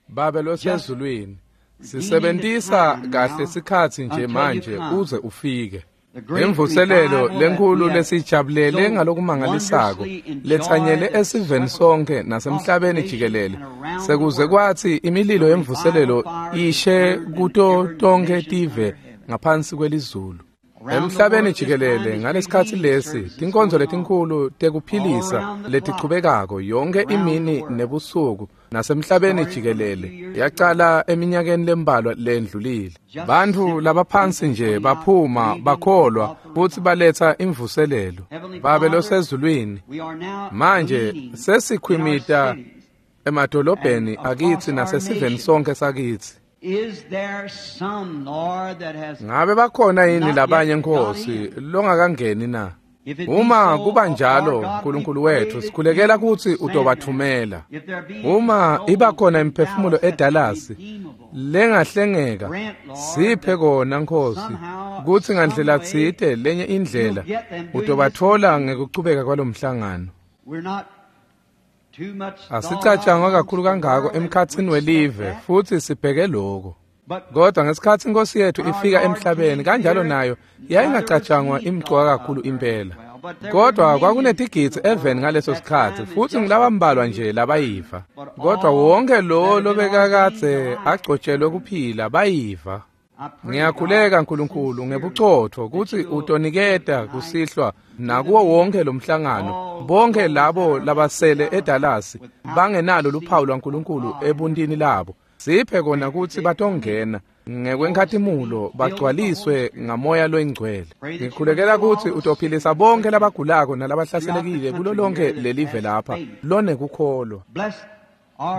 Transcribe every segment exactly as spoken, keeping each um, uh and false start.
Babe losezulwini, sisebentisa kahle sikhatsi nje manje uze ufike. Imvuselelo lenkulu lesijabulele ngalokumangalisako letsanyele esiveni sonke nasemhlabeni jikelele sekuze kwathi imililo yemvuselelo ishe kuto tonke tive ngaphansi kwelizulu. Emhlabeni jikelele ngalesikhatsi lesi tinkonzo letinkhulu tekuphilisa letichubekako yonke imini nebusuku nasemhlabeni jikelele yacala eminyakeni lembalwa lendlulile. Bantfu labaphansi nje baphuma bakholwa futsi baletsa imvuselelo. Babe losezulwini, manje sesikhwimita emadolobheni akitsi nasesiveni sonke sakitsi. Ngabe bakhona yini labanye Nkosi longakangeni na? Uma kuba njalo, Nkulunkulu wethu, sikhulekela kutsi utobathumela. Uma iba khona imiphefumulo eDallas lengahlengeka, siphe kona Nkosi kutsi ngandlela tsite lenye indlela utobathola ngekuchubeka kwalomhlangano. Asicatshangwa kakhulu kangako emkhatsini welive futsi sibheke lokho. Kodwa ngesikhatsi Inkosi yethu ifika emhlabeni kanjalo nayo yayingacatshangwa imcoka kakhulu impela. Kodwa kwakunetigidzi eveni ngaleso sikhatsi futsi ngilabambalwa nje labayiva. Kodwa wonke lo lobekakadze agcotshelwe kuphila bayiva. Ngiyakhuleka Nkulunkulu ngebucotho kutsi utoniketa kusihlwa nakuwo wonke lomhlangano bonke labo labasele eDallas bangenalo luphawu lwaNkulunkulu ebuntini labo. Siphe kona kutsi batongena ngekwenkhatimulo bagcwaliswe ngamoya loyingcwele. Ngikhulekela kutsi utophilisa bonke labagulako nalabahlaselekile kulo lonke lelive lapha lonekukholwa.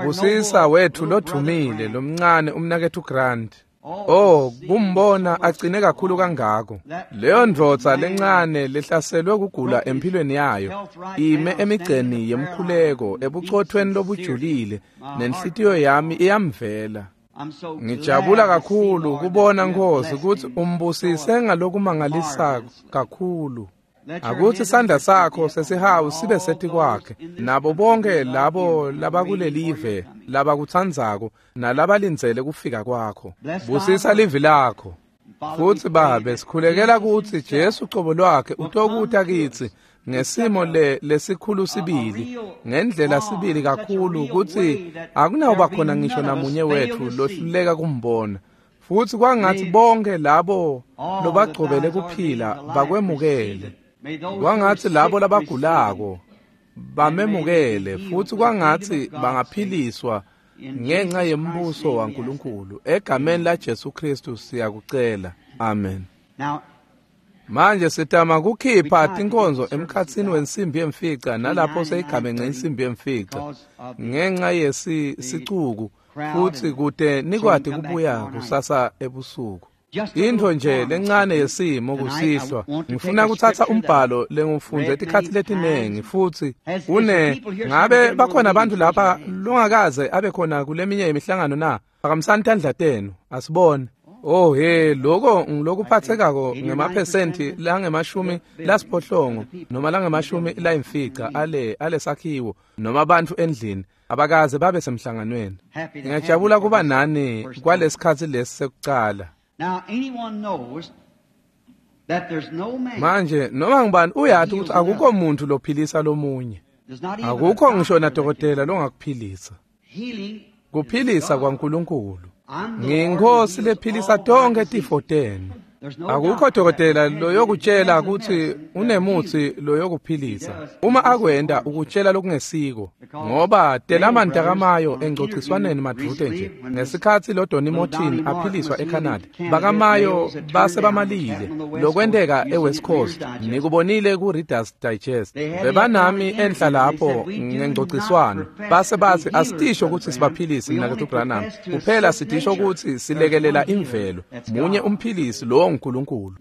Busisa wethu lodvumile lomncane umnaketfu Grant. Oh, kumbona agcine kakhulu kangako. Leyo ndvodza lencane lehlaselwe kugula empilweni yayo ime emigceni yemkhuleko ebucothweni lobujulile nenhlitiyo yami iyamvela. Ngijabula kakhulu kubona Nkosi kutsi umbusise ngalokumangalisa kakhulu. Akutsi sandla sakho sesihawu sibe setikwakhe nabo bonke labo labakulelive labakutsandzako nalabalindzele kufika kwakho. Busisa livi lakho. Futsi Babe, sikhulekela kutsi Jesu cobo lwakhe utokuta kitsi ngesimo le lesikhulu sibili, ngendlela sibili kakhulu kutsi akunawuba khona ngisho namunye wetfu lohluleka kumbona. Futsi kwangatsi bonke labo lobagcobele kuphila bakwemukele. Kwangatsi labo labagulako bamemukele futsi kwangatsi bangaphiliswa ngenxa yembuso waNkulunkulu. Egameni la Jesu Kristu siyakucela. Amen. Manje sitama kukhipha tinkonzo emkhatsini wensimbi yemfica nalapho seyigamenxe insimbi yemfica ngenxa yesicuku futsi kute nikwati kubuya kusasa ebusuku. Intfo nje lencane yesimo kusihlwa. Ngifuna kutsatsa umbhalo lengufundze tikhatsi letinengi futsi une ngabe bakhona abantu lapha longakaze abe khona kuleminye imihlangano na? Phakamisani tandla tenu asibone. Oh he, lokho ngilokuphathekako ngemaphesenti langemashumi lasiphohlongo noma langemashumi layimfica ale alesakhiwo noma abantu endlini abakaze babe semhlanganweni. Ngiyajabula kuba nani kwalesikhatsi lesi sekucala. Manje noma ngibani uyati ukuthi akukho muntu lophilisa lomunye. Akukho ngisho nadokotela longakuphilisa. Kuphilisa kwaNkulunkulu. Ngiyinkosi lephilisa tonke tifo tenu. Akukho dokotela loyokutshela ukuthi unemutsi loyokuphilisa. Uma akwenda ukutshela lokungesiko, ngoba telamandla kaMayo engcociswaneni madvute nje. Ngesikhatsi lo Donny Martin aphiliswa eCanada, bakaMayo base bamalile lokwenteka eWest Coast. Nikubonile ku Reader's Digest. Bebanami enhla lapho ngengcociswano. Base bathi asitisho ukuthi sibaphilise mnaketfu Branham. Kuphela sitisho ukuthi silekelela imvelo. Munye umphilisi lo uNkulunkulu.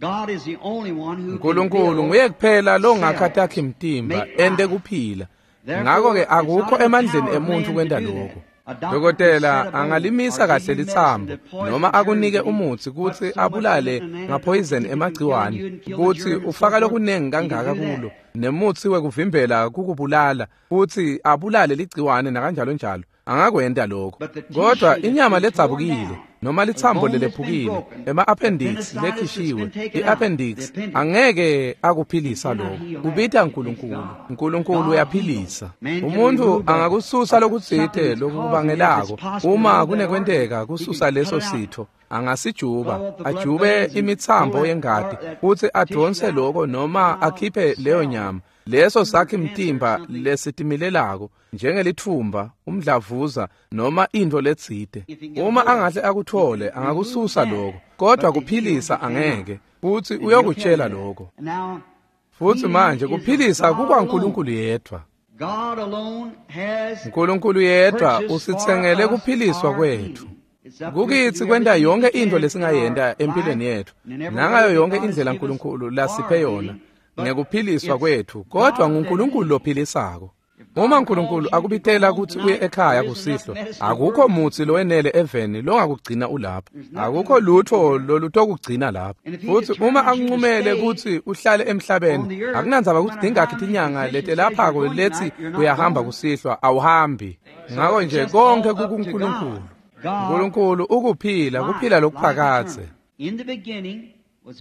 uNkulunkulu nguye kuphela longakha takhe imtimba ente kuphila. Ngakho ke akukho emandleni emuntu kwenta lokho. Dokotela angalimisa kahle litsambo noma akunike umutsi kutsi abulale ngaphoyizeni emagciwane kutsi ufaka lokunengi kangaka kulo nemutsi wekuvimbela kukubulala futsi abulale ligciwane nakanjalo njalo angakwenta lokho. Kodwa inyama ledzabukile noma litsambo lelephukile ema-appendix lekhishiwe i-appendix angeke akuphilisa lokho. Kubita uNkulunkulu. uNkulunkulu uyaphilisa. Umuntu angakususa lokutsite lokubangelako uma kunekwenteka kususa leso sitho angasijuba ajube imitsambo yengati futsi adonse lokho noma akhiphe leyo nyama. Leso sakhi mtimba lesitimilelako njengelithumba umdlavuza noma into letsite. Uma angahle akuthole angakususa lokho, kodwa kuphilisa angeke, futsi uyokutshela lokho. Futsi manje kuphilisa kukwaNkulunkulu yedvwa. uNkulunkulu yedvwa usitsengele kuphiliswa kwetfu. Kukitsi kwenta yonke into lesingayenta empilweni yetfu nangayo yonke indlela uNkulunkulu lasiphe yona ngekuphiliswa kwetfu, kodwa nguNkulunkulu lophilisako. Uma uNkulunkulu akubitela kutsi uye ekhaya kusihlwa, akukho mutsi lowenele eveni longakugcina ulapho. Akukho lutho lolutokugcina lapho. Futsi uma akuncumele kutsi uhlale emhlabeni, akunandzaba kutsi tingakhi tinyanga letelaphako letsi uyahamba kusihlwa, awuhambi. Ngako nje konke kukuNkulunkulu. uNkulunkulu ukuphila, kuphila lokuphakadze.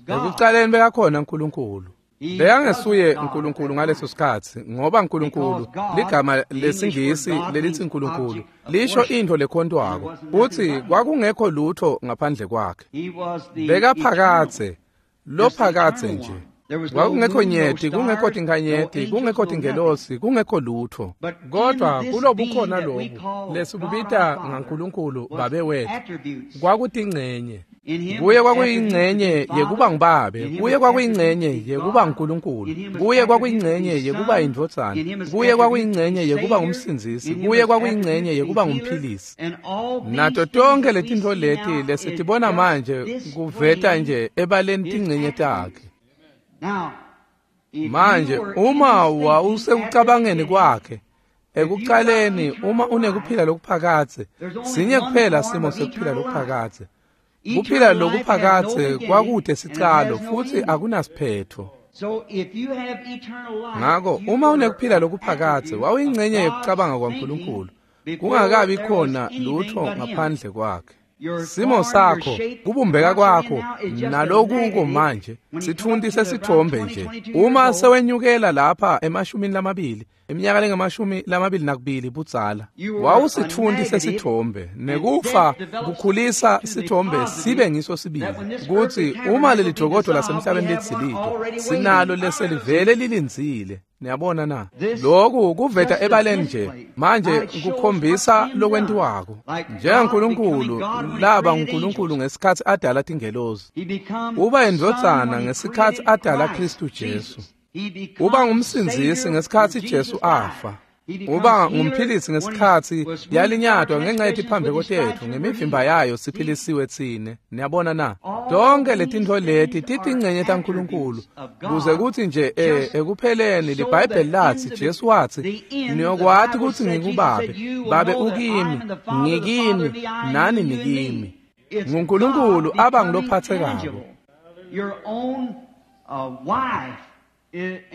Ekucaleni bekakhona uNkulunkulu. Bekangesuye uNkulunkulu ngaleso sikhatsi, ngoba uNkulunkulu ligama lesingisi lelithi uNkulunkulu lisho into lekhontwako, futsi kwakungekho lutho ngaphandle kwakhe. Bekaphakadze, lophakadze nje. Kwakungekho nyeti, kungekho tinkanyeti, kungekho tingelosi, kungekho lutho. Kodwa kulobukhona lobu lesibubita ngaNkulunkulu Babe wethu kwakutingcenye. Kuye kwakuyingcenye yekuba ngubabe, kuye kwakuyingcenye yekuba nguNkulunkulu, kuye kwakuyingcenye yekuba yindvodzana, kuye kwakuyingcenye yekuba ngumsindzisi, kuye kwakuyingcenye yekuba ngumphilisi. Nato tonke letintfo leti lesitibona manje kuveta nje ebaleni tingcenye takhe. Manje uma wawusekucabangeni kwakhe ekucaleni, uma unekuphila lokuphakadze, sinye kuphela simo sekuphila lokuphakadze. Kuphila lokuphakadze kwakude sicalo futsi akunasiphetho. Ngako uma unekuphila lokuphakadze wawuyingcenye yekucabanga kwaNkulunkulu, kungakabi khona lutho ngaphandle kwakhe. Simo sakho, kubumbeka kwakho nalokuko manje sithunti sesithombe nje. Uma sewenyukela lapha emashumini lamabili, iminyaka lengamashumi lamabili nakubili budzala, wawusithunti sesithombe, nekufa kukhulisa sithombe sibe ngiso sibili. Kutsi uma leli dokodwa lasemhlabeni litsilito, sinalo leselivele lilindzile. Niyabona na? Lokhu kuveta ebaleni nje manje kukhombisa lokwentiwako. NjengaNkulunkulu laba nguNkulunkulu ngesikhatsi adala tingelosi. Uba indvodzana ngesikhatsi adala Kristu Jesu. Uba ngumsindzisi ngesikhatsi Jesu afa. Uba ngumphilisi ngesikhatsi yalinyatwa ngenxa yetiphambeko tetfu, ngemivimba yayo siphilisiwe tsine. Niyabona na? Tonke letintfo leti titingcenye taNkulunkulu, kuze kutsi nje eh ekupheleni liBhayibheli latsi, Jesu watsi, niyokwati kutsi ngikuBabe, Babe ukimi, ngikini, nani nikimi. NguNkulunkulu aba ngulophathekako.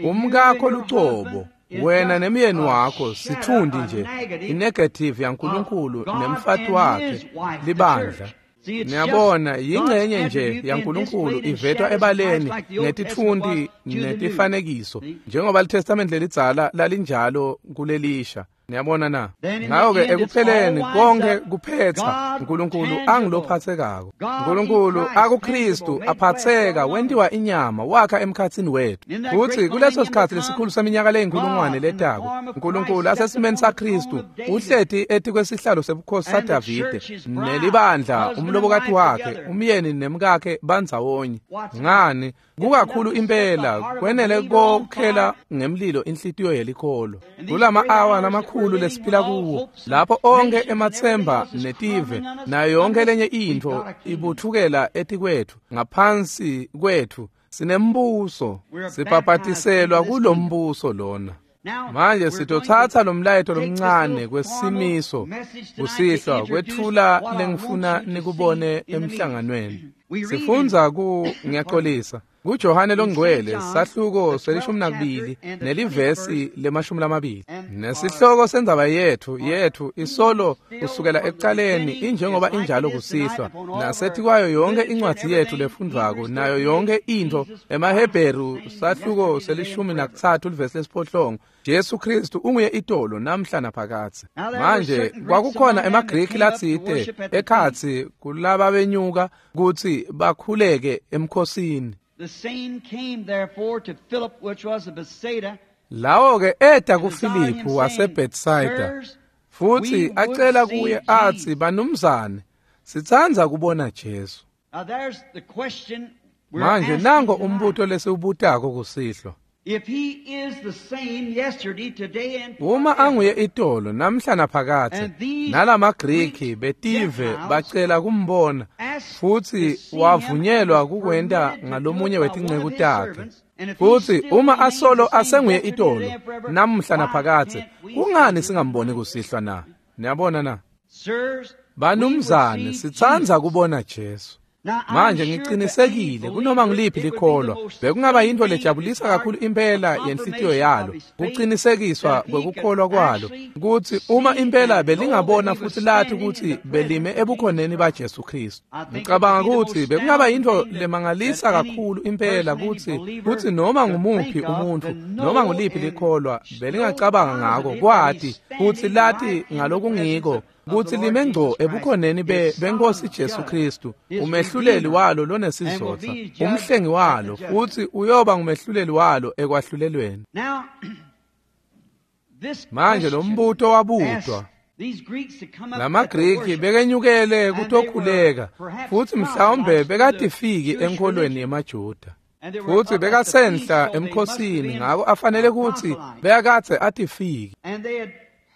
Umkakho lucobo, wena nemyeni wakho sithundi nje inegative yaNkulunkulu nemfati wakhe libandla. Niyabona, yingcenye nje yaNkulunkulu ivetwa ebaleni ngetitfunti netifanekiso, njengoba liTestament lelidzala lalinjalo kulelisha. Niyabona na? Ngako-ke ekupheleni konke kuphetsa uNkulunkulu angilophathekako. uNkulunkulu akuKristu aphatheka wentiwa inyama wakha emkhatsini wethu. Futsi kuleso sikhatsi lesikhulu seminyaka leyinkulungwane letako, uNkulunkulu asesimeni saKristu uhleti etikwesihlalo sebukhosi saDavide nelibandla, umlobokati wakhe, umyeni nemkakhe bandzawonye. Ngani? Kukakhulu impela kwenele kokhela ngemlilo inhlitiyo yelikholo. Kulama awa lamakhulu lesiphila kuwo, lapho onke emathemba netive nayo yonke lenye intfo ibuthukela etikwethu, ngaphansi kwethu sinembuso, sibhabhatiselwa kulombuso lona. Manje sitothatha lo mlayeto lomncane kwesimiso kusihlwa kwetfula lengifuna nikubone emhlanganweni. Sifundza ku ngiyaxolisa kuJohane longcwele sahluko selishumi nakubili nelivesi lemashumi lamabili. Nesihloko sendzaba yethu yethu isolo kusukela ekucaleni injengoba injalo kusihlwa nasethi kwayo yonke incwadi yethu lefundvwako nayo yonke intfo emaHebheru sahluko selishumi nakutsatfu livesi lesiphohlongo Jesu Kristu unguye itolo namhla naphakadze. Manje kwakukhona emaGriki latsite ekhatsi kulaba benyuka kutsi bakhuleke emkhosini. The same came therefore to Philip, which was of Bethsaida. Lawo ke eta kuFiliphu waseBethsaida futhi acela kuye athi banumzane sitsandza kubona Jesu. Now there's the question we're Manje asking nango tonight. umbuto lesiwubutako kusihlwa. If he is the same yesterday, today, and Uma forever, anguye itolo namhla naphakadze And these nalamaGriki betive Gentiles bacela kumbona asked futhi to see him wavunyelwa and was kukwenta permitted to do ngalomunye it by wetinceku one of his takhe. servants. And if he Futhi still uma remains asolo the same asenguye yesterday, itolo today, and forever, namhla why naphakadze can't we kungani see singamboni kusihlwa na? Niyabona na? Sirs, Banumzane we would see sitsandza Jesus. kubona Jesu. Now, I'm Manje sure to any ngiqinisekile believer, kunoma ngiliphi it would be the likholwa most bekungaba yinto thing lejabulisa regarding kakhulu impela the yenhlitiyo confirmation yalo of his faith, kuqinisekiswa that he could kwekukholwa kwalo actually kutsi uma see impela and know belingabona that he was futhi lathi standing in kutsi the presence belime of ebukhoneni Jesus baJesu Kristu. I think it Ngicabanga would be the kutsi most bekungaba yinto astounding thing that, lemangalisa that any kakhulu impela person, any kutsi believer kutsi noma could ngumuphi think of umuntfu to noma know nguliphi and likholwa know belingacabanga ngako positive that kwati he's kutsi standing lati right in the presence ngalokungiko of, of the kutsi Lord lime ngco Jesus Christ, ebukhoneni be his benkosi sovereign Jesu judge, Kristu his umehluleli redeemer, walo and will lonesizotha be his judge umhlengi at the walo judgment. futhi uyoba ngumehluleli walo ekwahlulelweni. Now, this Manje lo question mbuto wabutwa asked these Greeks to come up at the lamaGriki worship, bekenyukele and they were kutokhuleka perhaps futhi mhlawumbe proselytes to the bekatifiki Jewish enkholweni religion. yemaJuda And they were futhi up at the feast, bekasenhla so they must have emkhosini been ngako afanele kutsi proselytes. bekakadze atifiki And they had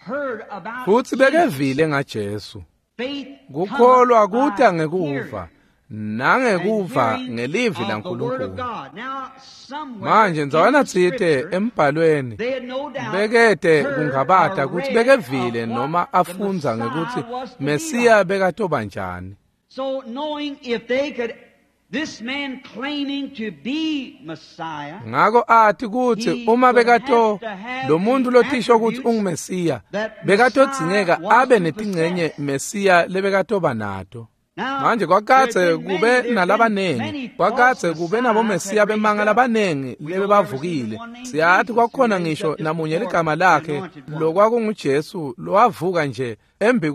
heard about futhi Jesus. bekevile ngaJesu. Faith Kukholwa cometh by kuta ngekuva hearing, and nangekuva hearing ngelivi of the Word of laNkulunkulu. God. Now, somewhere Manje in ndzawana the tsite Scripture, embhalweni they had no doubt bekete heard kungabata or kutsi read bekevile of noma what the afundza Messiah ngekutsi was to be Mesiya like. bekatoba njani. So knowing if they could, this man claiming to be Messiah, Ngako athi kutsi he uma would bekato have to have lo muntu the lotisho kutsi attributes unguMesiya that Messiah bekatodzingeka was abe to netingcenye possess. Mesiya lebekatoba nato. Now, Manje there kwakadze had been many, kube there had been nalabanengi many false kwakadze kube messiahs nabomesiya had raised bemanga up. labanengi We know there was even lebebavukile. one named Siyathi Jesus who kwakukhona raised ngisho up just namunye before ligama the lakhe anointed one. lokwakunguJesu lowavuka nje embi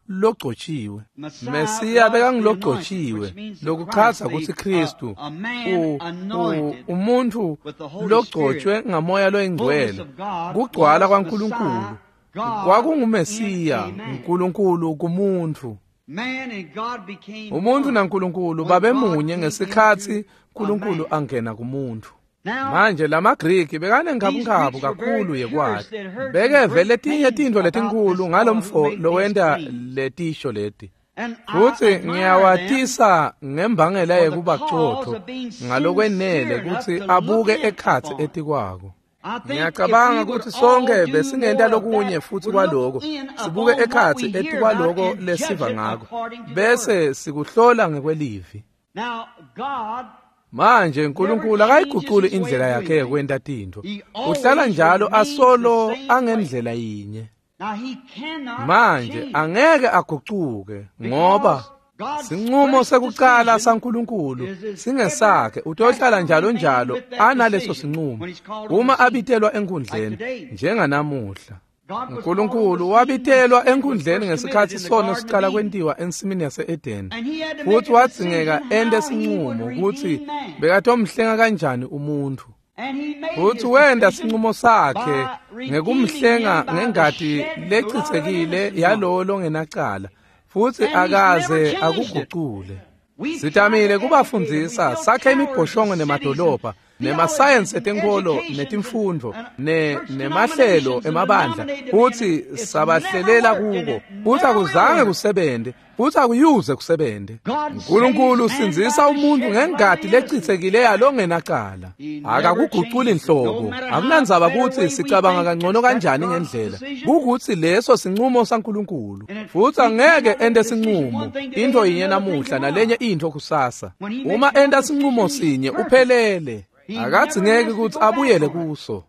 kwalogcotshiwe. Messiah Mesiya was the anointed, bekangulogcotshiwe which means the Christ, lokuchaza the, kutsi uh, Kristu a man u- u- anointed umuntfu with the Holy logcotshwe Spirit. ngamoya Fullness loyingcwele of God kugcwala was kwaNkulunkulu Messiah, God in kwakungumesiya a man. uNkulunkulu kumuntfu. Man and God became Umuntu one naNkulunkulu when babe God munye came ngesikhatsi into a uNkulunkulu man. angena kumuntfu. Now, Manje lamaGriki these bekanenkabunkhabu Greeks were very kakhulu curious. yekwati They had heard some bekeve great letinye things tintfo about this letinkhulu fellow who ngalomfo made these lowenta claims. letisho leti. And I Futsi admire them ngiyawatisa ngembangela for the yekuba cause cotfo of being ngalokwenele sincere enough kutsi to look abuke in ekhatsi upon. etikwako. I think if we Ngiyacabanga would kutsi sonke all do besingenta more of lokunye that, futsi would look kwaloko in sibuke upon what ekhatsi we hear about etikwaloko and judge lesiva it ngako according to the Word. bese sikuhlola ngekwelivi. Now, God Manje never uNkulunkulu changes akayiguculi his way indlela of yakhe doing things. yekwenta tintfo. He Uhlala always njalo remains the asolo same way. angendlela yinye. Now, he cannot Manje change angeke agucuke ngoba because God's sinqumo first sekucala decision saNkulunkulu is his ever singesakhe has utohlala to njalo remain njalo with that analeso decision sinqumo when he's called on uma the scene. abitelwa Like enkundleni today, njenganamuhla. God was called on the uNkulunkulu scene when wabitelwa sin was enkundleni first committed ngesikhatsi in the sono Garden of siqala Eden. kwentiwa ensimini yase-Edeni And he had to make futhi a wadzingeka decision ente how he would sinqumo kutsi redeem man. bekatomhlenga kanjani umuntfu. And he made Futhi his wenta decision sinqumo sakhe by redeeming ngekumhlenga him by the ngengati shed blood of an lechitsekile innocent one. yalowo longenacala futhi And he's never akaze changed it. akugucule. We've tried Sitamile to educate them. We kubafundzisa built sakhe towers and imibhoshongo cities and nemadolobha nemasayensi etenkolo netimfundvo ne nemahlelo emabandla futsi sabahlelela kuko futsi akuzange kusebente futsi akuyuze kusebente. Nkulunkulu usindzisa umuntu ngengati lecitsekile yalongenacala. Akakuguculi inhlobo. Akunandzaba kutsi sicabanga kangcono kanjani ngendlela, kukutsi leso sincumo saNkulunkulu futsi angeke ente sincumo into yinye namuhla nalenye into kusasa. Uma enta sincumo sinye uphelele, akadzingeki kutsi abuyele kuso.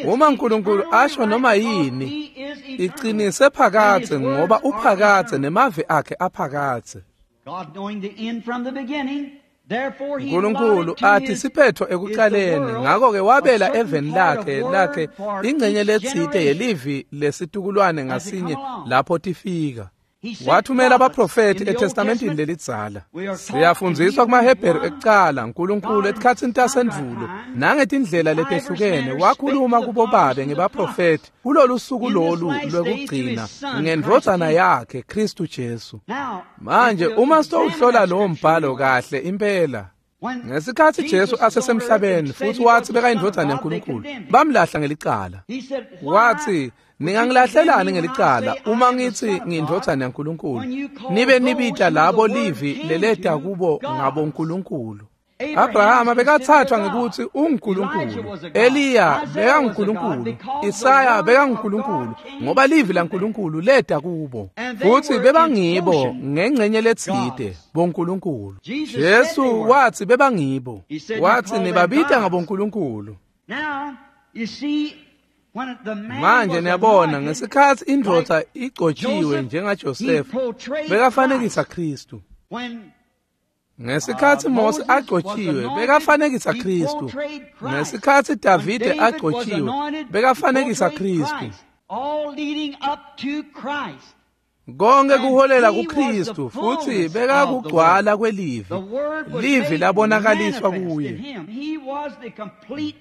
Uma Nkulunkulu asho noma yini, iqinise phakadze ngoba uphakadze nemavi akhe aphakadze. Nkulunkulu athi siphetho ekuqaleni, ngakho-ke wabela eveni lakhe lakhe ingcenye letsite yelivi lesitukulwane ngasinye lapho tifika. Wathumela abaprofethi eTestamentini lelidzala. Siyafundziswa kumaHebheru ekucala, Nkulunkulu etikhatsini tasendvulo nangetindlela letehlukene wakhuluma kubobabe ngebaprofethi kulolu suku lolu lwekugcina ngendvodzana yakhe Kristu Jesu. Manje uma sitowuhlola lowo mbhalo kahle impela, ngesikhatsi Jesu asesemhlabeni futsi watsi bekayindvodzana yaNkulunkulu, bamlahla ngelicala. Watsi, ningangilahlelani ngelicala uma ngithi ngiyindvodzana yaNkulunkulu, nibe nibita labo livi leleta kubo ngabonkulunkulu. Abrahama bekathathwa ngekutsi unguNkulunkulu, Eliya bekanguNkulunkulu, Isaya bekanguNkulunkulu, ngoba livi laNkulunkulu leta kubo futsi bebangibo ngengcenye letsite bonkulunkulu. Jesu watsi bebangibo, watsi nibabita ngabonkulunkulu. Manje niyabona ngesikhatsi indvodza igcotjiwe njengaJosefa, bekafanekisa Kristu. Ngesikhatsi Mose agcotjiwe, bekafanekisa Kristu. Ngesikhatsi Davide agcotjiwe, bekafanekisa Kristu. Konke kuholela kuKristu futsi bekakugcwala kwelivi. Livi labonakaliswa kuye.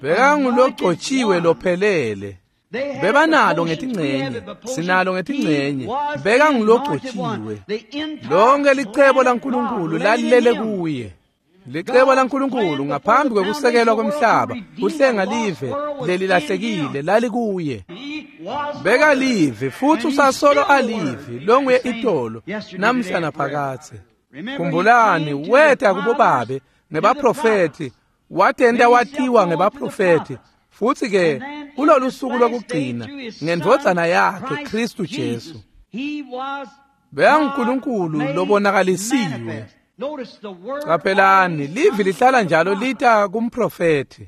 Bekangulogcotjiwe lophelele. Bebanalo ngetingcenye, sinalo ngetingcenye. Bekangulogcotjiwe. Lonke licebo laNkulunkulu lalilele kuye. Licebo laNkulunkulu ngaphambi kwekusekelwa kwemhlaba, kuhlenga live lelilahlekile lalikuye. Bekalive futsi usasolo alive, longuye itolo namhla naphakadze. Khumbulani, weta kubobabe ngebaprofethi, watenta watiwa ngebaprofethi, futsi ke kulolu suku lokugcina ngendvodzana yakhe Kristu Jesu. BekanguNkulunkulu lobonakalisiwe. Qaphelani, livi lihlala njalo lita kumprofethi.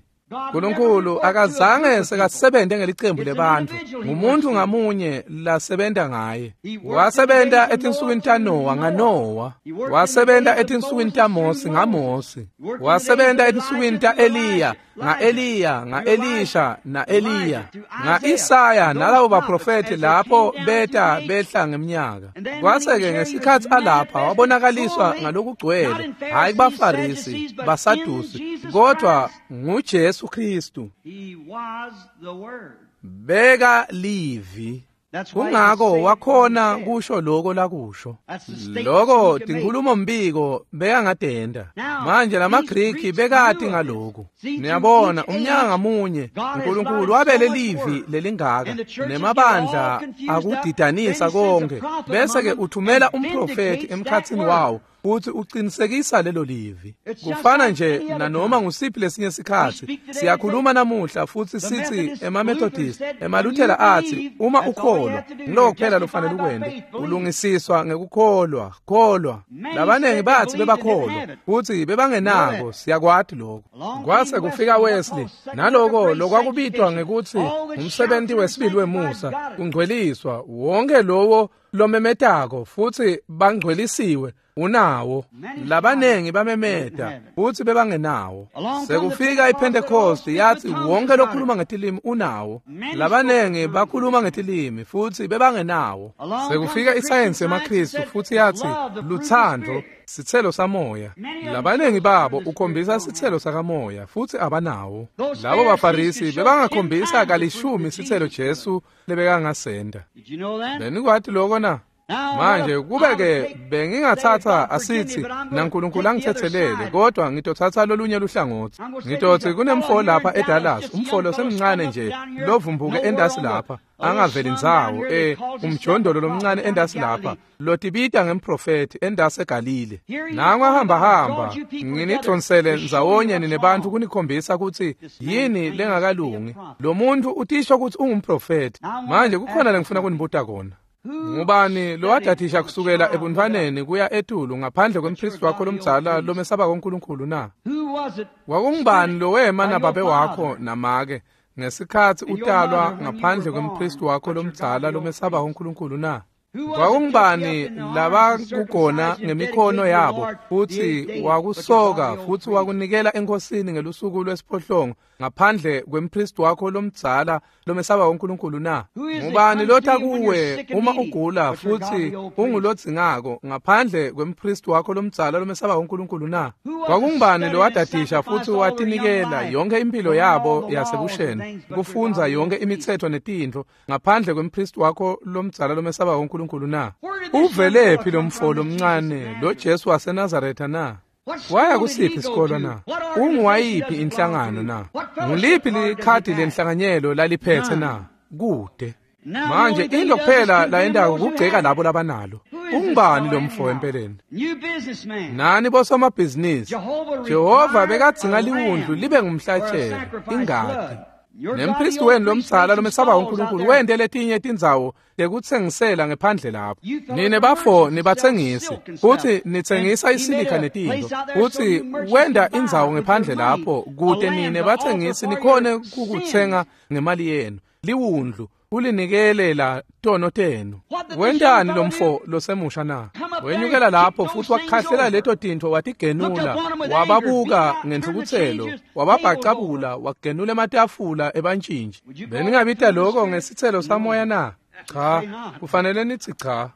Nkulunkulu akazange sekasebente ngelicembu lebantfu, ngumuntu ngamunye lasebenta ngaye. Wasebenta etinsukwini taNowa ngaNowa, wasebenta etinsukwini taMosi ngaMosi, wasebenta etinsukwini ta-Eliya nga-Eliya, nga-Elisha na-Eliya, nga-Isaya nalabo baprofethi lapho beta behla ngeminyaka. Kwase-ke ngesikhatsi alapha wabonakaliswa ngalokugcwele, hhayi kubaFarisi, baSadusi, kodwa nguJesu Kristu. Beka livi. Kungako wakhona kusho loko lakusho. Loko tinkhulumo mbiko bekangatenda. Manje lamaGriki bekati ngaloku. Niyabona umnyaka ngamunye uNkulunkulu wabele livi lelingaka nemabandla akudidanisa konke, bese ke uthumela umprofethi emkhatsini wawo futhi uqinisekisa lelo livi. Kufana nje nanoma ngusiphi lesinye sikhatsi siyakhuluma namuhla futhi sithi emaMethodist, emaLuthela athi uma ukholwa ngiloko kuphela lofanele ukwente, ulungisiswa ngekukholwa, kholwa. Labanengi bathi bebakholwa futhi bebangenako, siyakwati lokho. Kwase kufika Wesley naloko lokwakubitwa ngekutsi umsebenzi wesibili wemusa, kungcweliswa wonke lowo lomemetako futhi bangcwelisiwe unawo. Labanengi bamemeta futhi bebangenawo. Sekufika iPentecost yathi wonke lokhuluma ngetilimi unawo. Labanengi bakhuluma ngetilimi futhi bebangenawo. Sekufika isayensi yemaKristu futhi yathi luthando sitselo samoya. Labanengi babo ukhombisa sitselo sakamoya futhi abanawo. Labo baFarisi bebangakhombisa kalishumi sitselo Jesu lebekangasenda. Benikwati lokho na? Manje kube-ke bengingatsatsa asithi naNkulunkulu angithethelele, kodwa ngitothatha lolunye luhlangothi. Ngitothi kunemfo lapha eDallas, umfo losemncane nje lovumbuke endasi lapha, angaveli ndzawo, eh umjondolo lomncane endasi lapha, lotibita ngemprofethi endasi eGalile. Nangu ahamba hamba, nginidonsele ndzawonye ninebantfu kunikhombisa kutsi yini lengakalungi. Lo muntu utisho kutsi ungumprofethi. Manje kukhona lengifuna kunibuta kona. Ngubani lowadadisha kusukela ebuntwaneni kuya etulu ngaphandle kwempristi wakho lomdzala lomesabako uNkulunkulu na? Kwakungubani lowema nababe wakho namake ngesikhatsi utalwa ngaphandle kwempristi wakho lomdzala lomesabako uNkulunkulu na? Kwakungubani labakugona ngemikhono yabo futsi wakusoka futsi wakunikela enkosini ngelusuku lwesiphohlongo ngaphandle kwempristi wakho lomdzala lomesaba uNkulunkulu na? Ngubani lotha kuwe uma ugula futsi ungulodzingako ngaphandle kwempristi wakho lomdzala lomesaba uNkulunkulu na? Kwakungubani lowadadisha futsi watinikela yonke impilo yabo yasebusheni kufundza yonke imitsetfo netintfo ngaphandle kwempristi wakho lomdzala lomesaba uNkulunkulu na? Uvelephi lo mfo lomncane lo Jesu waseNazaretha na? Waya kusiphi isikolo na? Unguwayiphi inhlangano na? Nguliphi likhadi lenhlanganyelo laliphethe na? Kude. Manje into kuphela layendako kugceka labo labanalo. Ungubani lo mfo empeleni? Nani bosomabhizinisi? Jehova bekadzinga liwundlu libe ngumhlatshelo, ingati. Nempristi wenu lomdzala lomesaba uNkulunkulu wente letinye tindzawo tekutsengisela ngephandle lapho. Nine bafo nibatsengisi futsi nitsengisa isilika netintfo, futsi wenda indzawo ngephandle lapho kute nine batsengisi nikhone kukutsenga ngemali yenu. Liwundlu kulinikelela tono tenu. Wentani lo mfo losemusha na? Wenyukela lapho futhi wakhahlela leto tintfo watigenula, wababuka ngentfukutselo, wababhacabula, wagenula ematafula ebantshintshi. Beningabita lokho ngesitselo samoya na? Cha, kufanele nithi cha.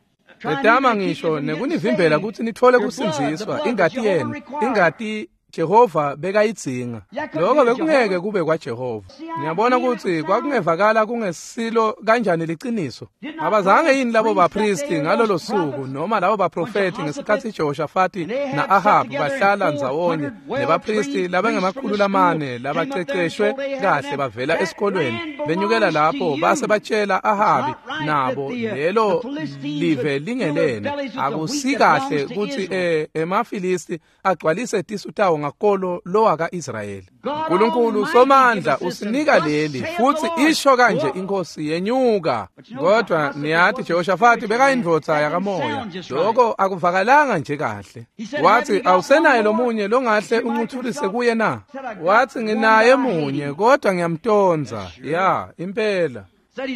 Letama ngisho nekunivimbela kutsi nitfole kusindziswa ingati yenu, ingati Jehova bekayidzinga. Lokho bekungeke kube kwaJehova. Niyabona ukuthi kwakungevakala kungesilo kanjani liciniso. Abazange yini labo bapristi ngalolo suku noma labo baprofeti ngesikhatsi Jehoshafati na-Ahabu bahlala ndzawonye nebapristi labangemakhulu lamane labaceceshwe kahle bavela esikolweni benyukela lapho base batshela Ahabi nabo lelo live lingelene. Akusikahle kutsi eh, emaFilisti agcwalise tisu tawo ngakolo lowaka Israyeli. uNkulunkulu somandla usinika leli futsi isho kanje inkosi yenyuka. Kodwa niyathi Jehoshafati bekayindvodza yakamoya. Lokho akuvakalanga nje kahle. Wathi awusenaye lomunye longahle uncuthulise kuye na? Wathi nginaye munye kodwa ngiyamtonza. Ya, impela.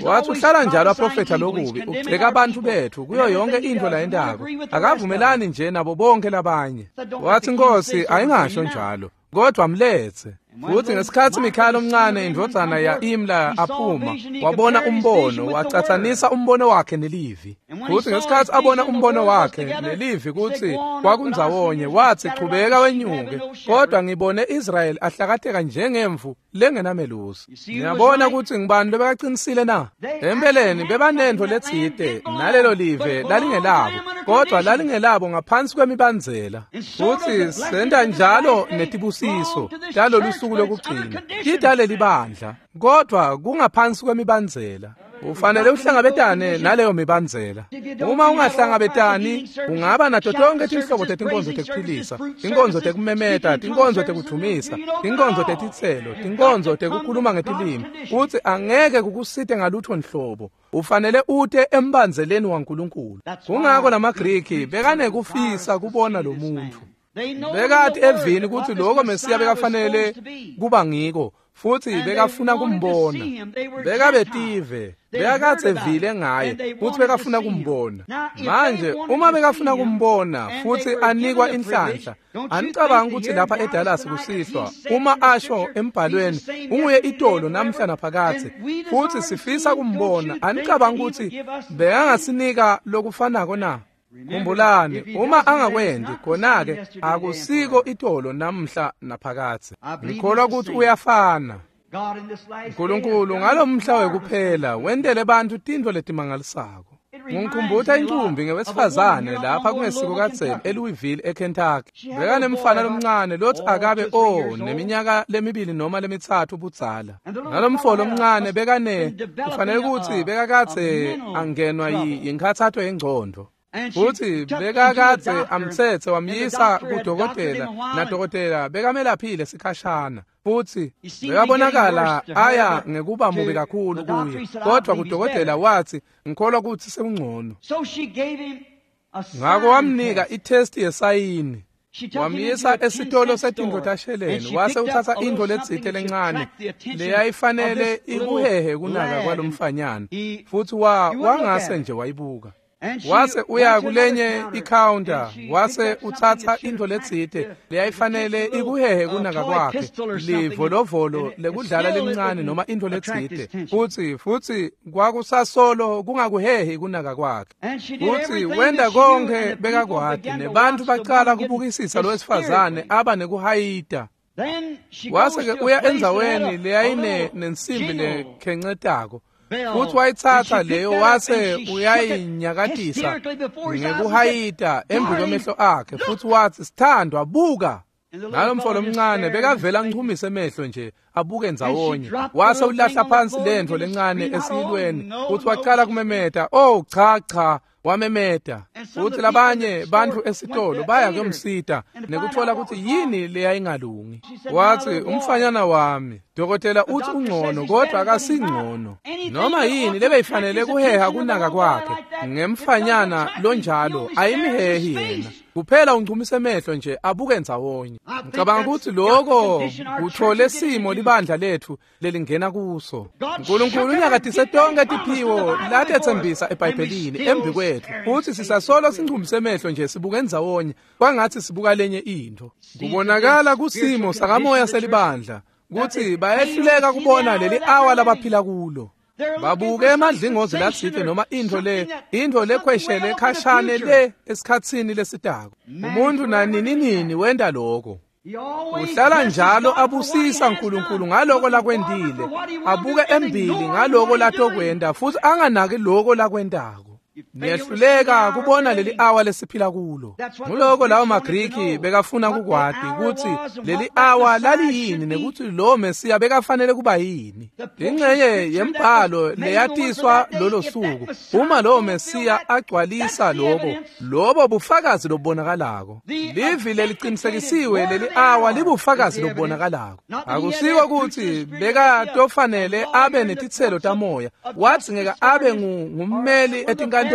Wathi uhlala njalo aprofetha lokubi, ugceka abantu bethu kuyo yonke into layentako. Akavumelani nje nabo bonke labanye. Wathi inkosi ayingasho njalo, kodwa mlethe. Futhi ngesikhatsi Mikhaya omncane indvodzana ya Imla aphuma, wabona umbono, wacatsanisa umbono wakhe nelivi. Futhi ngesikhatsi abona umbono wakhe nelivi kutsi kwakundzawonye, wathi chubeka wenyuke, kodwa ngibone Israel ahlakateka njengemvu lengenamelusi. Ngiyabona kutsi ngibani lobekaqinisile na? Empeleni bebanentfo letsite nalelo live lalingelabo, kodwa lalingelabo ngaphansi kwemibandzela. Futhi senta njalo netibusiso talolu suku lokugcina tidale libandla, kodwa kungaphansi kwemibandzela. Ufanele uhlangabetane naleyo mibandzela. Uma ungahlangabetani ungaba nato tonke tinhlobo tetinkonzo tekuphilisa, tinkonzo tekumemeta, tinkonzo tekudvumisa, tinkonzo tetitselo, tinkonzo tekukhuluma ngetilimi, kutsi angeke kukusite ngalutho nhlobo. Ufanele ute embandzeleni waNkulunkulu. Kungako lamaGriki bekanekufisa kubona lo muntu. Bekati evini kutsi lokho Mesiya bekafanele kuba ngiko, futhi bekafuna kumbona. Bekabetive, bekakadze vile ngaye, futhi bekafuna kumbona. Manje uma bekafuna kumbona futhi anikwa inhlanhla, anicabanga ukuthi lapha eDallas kusihlwa uma asho embhalweni unguye itolo namhla naphakathe, futhi sifisa kumbona, anicabanga ukuthi bekangasinika lokufanako na? Khumbulani, uma angakwendi khona-ke akusiko itolo namhla naphakathe. Ngikholwa ukuthi uyafana. uNkulunkulu ngalomhla wekuphela wentele bantfu tintfo letimangalisako. Ngikhumbuta inqumbi ngewesifazane lapha kungesiko kadzeni eLouisville eKentucky. Bekanemfana lomncane lothi akabe o neminyaka lemibili noma lemitsatfu budzala. Nalomfo lomncane bekane kufanele ukuthi bekakadze angenwa yinkhathato yengcondo. Futhi bekakadze amthethe wamyisa kudokotela nadokotela bekamelaphile sikhashana. Futhi bekabonakala aya ngekuba mubi kakhulu kuye, kodwa kudokotela wathi ngikholwa ukuthi sekungcono. Ngakho wamnika itest yesayini, wamyisa esitolo setintfo tasheleni, wase uthatha intfo letsite lencane leyayifanele ikuhehe kunaka kwalomfanyana, futhi wa wangase nje wayibuka. Wase uya kulenye icounter, wase uthatha intfo letsite leyayifanele ikuhehe kunaka kwakhe, livolovolo lekudlala lelincane noma intfo letsite, futhi futhi kwakusasolo kungakuhehi kunaka kwakhe. Futhi wenda konke bekakwati, nebantfu bacala kubukisisa lowesifazane aba nekuhayita. Wase-ke uya endzaweni leyayine nensimbi lekhencetako, futhi wayitsatsa leyo wase uyayinyakatisa ngekuhayita embi kwemehlo akhe, futhi wathi, sithandwa, buka. Nalomfo lomncane bekavela anchumise emehlo nje abuke ndzawonye, wase ulahla phansi lentfo lencane esiyilweni, futhi wacala kumemeta, oh cha cha, wamemeta. Futhi labanye bantfu esitolo baya kuyomsita nekutfola kutsi yini leyayingalungi. Wathi, umfanyana wami, dokotela uthi ungcono kodwa akasingcono. Noma yini lebeyifanele kuheha kunaka kwakhe ngemfanyana lonjalo ayimhehi yena, kuphela unchumise emehlo nje abuke ndzawonye. Ngicabanga ukuthi lokho kuthole simo libandla lethu lelingena kuso. Nkulunkulu unyakatise tonke tiphiwo latetsembisa eBhayibhelini embi kwethu, futhi sisasolo sinchumise emehlo nje sibuke ndzawonye kwangathi sibuka lenye intfo. Kubonakala kusimo sakamoya selibandla kutsi bayehluleka kubona leli awa labaphila kulo. Babuke emadlingozi latsite noma intfo le intfo lekhweshele khashane le esikhatsini lesitako. Umuntu nanini nini wenta lokho. Uhlala njalo abusisa Nkulunkulu ngaloko lakwentile, abuke embili ngaloko latokwenta, futhi anganaki loko lakwentako. Niyehluleka kubona leli awa lesiphila kulo. Nguloko lawo maGriki bekafuna kukwati kutsi leli awa laliyini nekutsi lo Mesiya bekafanele kuba yini. Ingxenye yembhalo leyatiswa lolo suku, uma lo Mesiya agcwalisa lokho, lobo bufakazi lobubonakalako. Livi lelicinisekisiwe leli awa libufakazi lobubonakalako. Akusiko kutsi bekatofanele abe netitselo tamoya, wathi ngeke abe ngummeli etinkantolo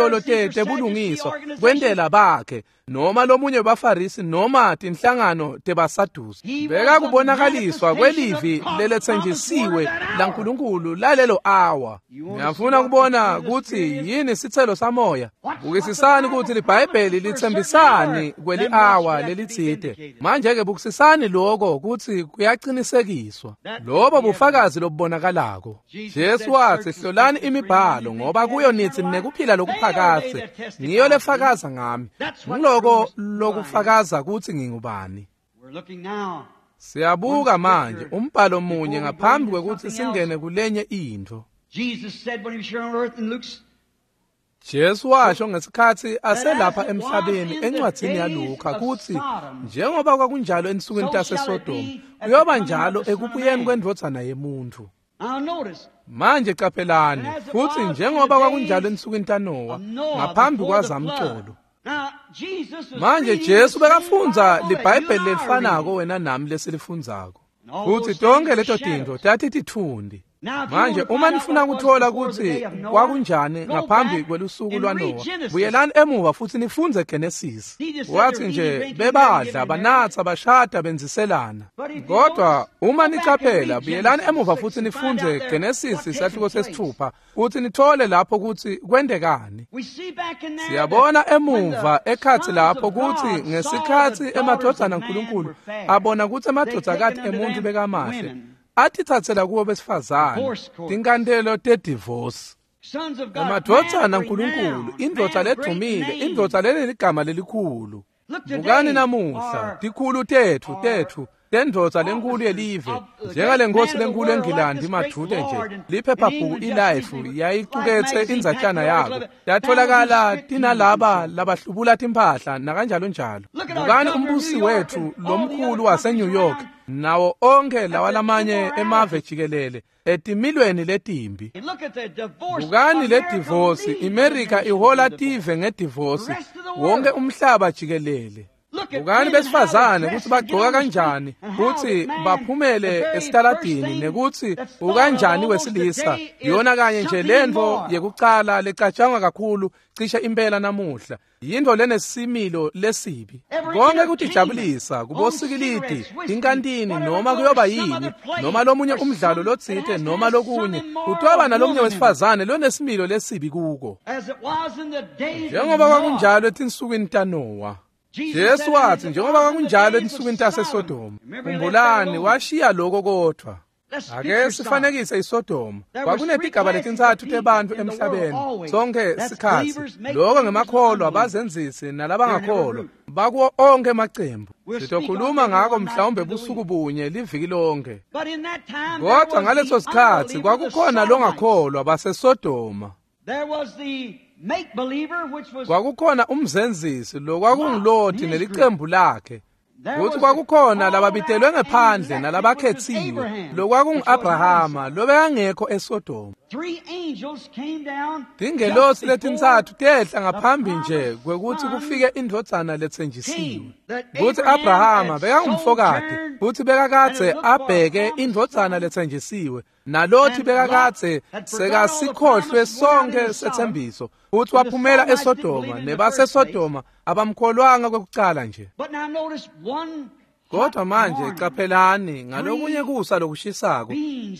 tebulungiswa kwentela bakhe noma lomunye webaFarisi noma tinhlangano tebaSadusi. Bekakubonakaliswa kwelivi leletsenjisiwe laNkulunkulu lalelo awa. Ngiyafuna kubona kutsi yini sitselo samoya. Bukisisani kutsi liBhayibheli litsembisani kweli awa lelitsite. Manje-ke bukisisani lokho kutsi kuyacinisekiswa. Lobo bufakazi lobubonakalako. Jesu watsi, hlolani imibhalo ngoba kuyo nitsi nekuphila lokuphakadze, ngiyo lefakaza ngami. Nguloko lokufakaza kutsi ngingubani. Siyabuka manje umbhalo munye ngaphambi kwekutsi singene kulenye intfo. Jesu washo ngesikhatsi aselapha emhlabeni encwadzini yaLuka kutsi njengoba kwakunjalo ensukwini taseSodoma, kuyoba njalo ekubuyeni kwendvodzana yemuntfu. Manje qaphelani, futhi njengoba kwakunjalo ensukwini taNowa ngaphambi kwazamcolo. Manje Jesu bekafundza liBhayibheli lelifanako wena nami lesilifundzako, futhi tonke leto tintfo tatititfundi. Manje uma nifuna kutfola kutsi kwakunjani ngaphambi kwelusuku lwaNowa, buyelani emuva futhi nifundze Genesis. Wathi nje bebadla, banatsa, bashada, benziselana. Kodwa uma nicaphela, buyelani emuva futhi nifundze Genesis isahluko sesithupha, futhi nithole lapho kutsi kwentekani. Siyabona emuva ekhatsi lapho kutsi ngesikhatsi emadvodzana aNkulunkulu abona kutsi emadvodzakati emuntfu bekamahle, atitsatsela kubo besifazane tinkantelo tedivosi. Emadvodzana aNkulunkulu, indvodza ledumile, indvodza leneligama lelikhulu. Bukani namuhla, tikhulu tetfu tetfu tendvodza lenkulu yelive njengale nkosi lenkulu eNgilandi madude nje liphephabhuku iLife yayicuketse indzatshana yako yatholakala tinalaba labahlubula timphahla nakanjalo njalo. Bukani umbusi wethu lomkhulu waseNew York nawo onke lawa lamanye emave jikelele etimilweni letimbi. Bukani le divorce, iMerica ihola tive ngedivorce wonke umhlaba jikelele. Bukani besifazane kutsi bagcoka kanjani kutsi baphumele esitaladini nekutsi ukanjani wesilisa yona kanye nje lentfo yekucala lecatshangwa kakhulu cishe impela namuhla yintfo lenesimilo lesibi. Konke kutijabulisa kubosikilidi inkantini noma kuyoba yini noma lomunye umdlalo lotsite noma lokunye kutoba nalomunye wesifazane lonesimilo lesibi kuko njengoba kwakunjalo etinsukwini taNowa. Jesu wathi njengoba kwakunjalo etinsukwini taseSodoma. Khumbulani washiya lokho kodwa. Ake sifanekise iSodoma. Kwakunetigaba letintsatfu tebantfu emhlabeni sonke sikhatsi. Lokho ngemakholwa bazenzisi nalabangakholwa bakuwo onke emacembu. Sitokhuluma ngako mhlawumbe busuku bunye liviki lonke. Kodwa ngaleso sikhatsi kwakukhona longakholwa baseSodoma. Kwakukhona umzenzisi lokwakunguLothi nelicembu lakhe. Futhi kwakukhona lababitelwe ngephandle nalabakhetsiwe lokwakungu-Abrahama lobekangekho eSodoma. Tingelosi letintsatfu tehla ngaphambi nje kwekutsi kufike indvodzana letsenjisiwe. Kutsi Abrahama bekangumfokati futsi bekakadze abheke indvodzana letsenjisiwe naLothi bekakadze sekasikhohlwe sonke setsembiso futsi waphumela eSodoma nebaseSodoma abamkholwanga kwekucala nje. Kodwa manje caphelani ngalokunye kusa lokushisako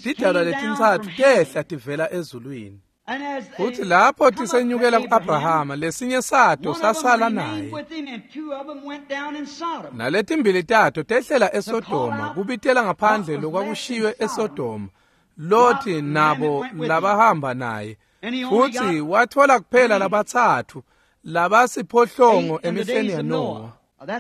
tidalwa letintsatfu tehla tivela ezulwini. Futhi lapho tisenyukela ku-Abrahama lesinye sato sasala naye naletimbili tato tehlela eSodoma kubitela ngaphandle lokwakushiywe eSodoma Lothi nabo labahamba naye. Futhi wathola kuphela labatsatfu labasiphohlongo emihleni yaNowa.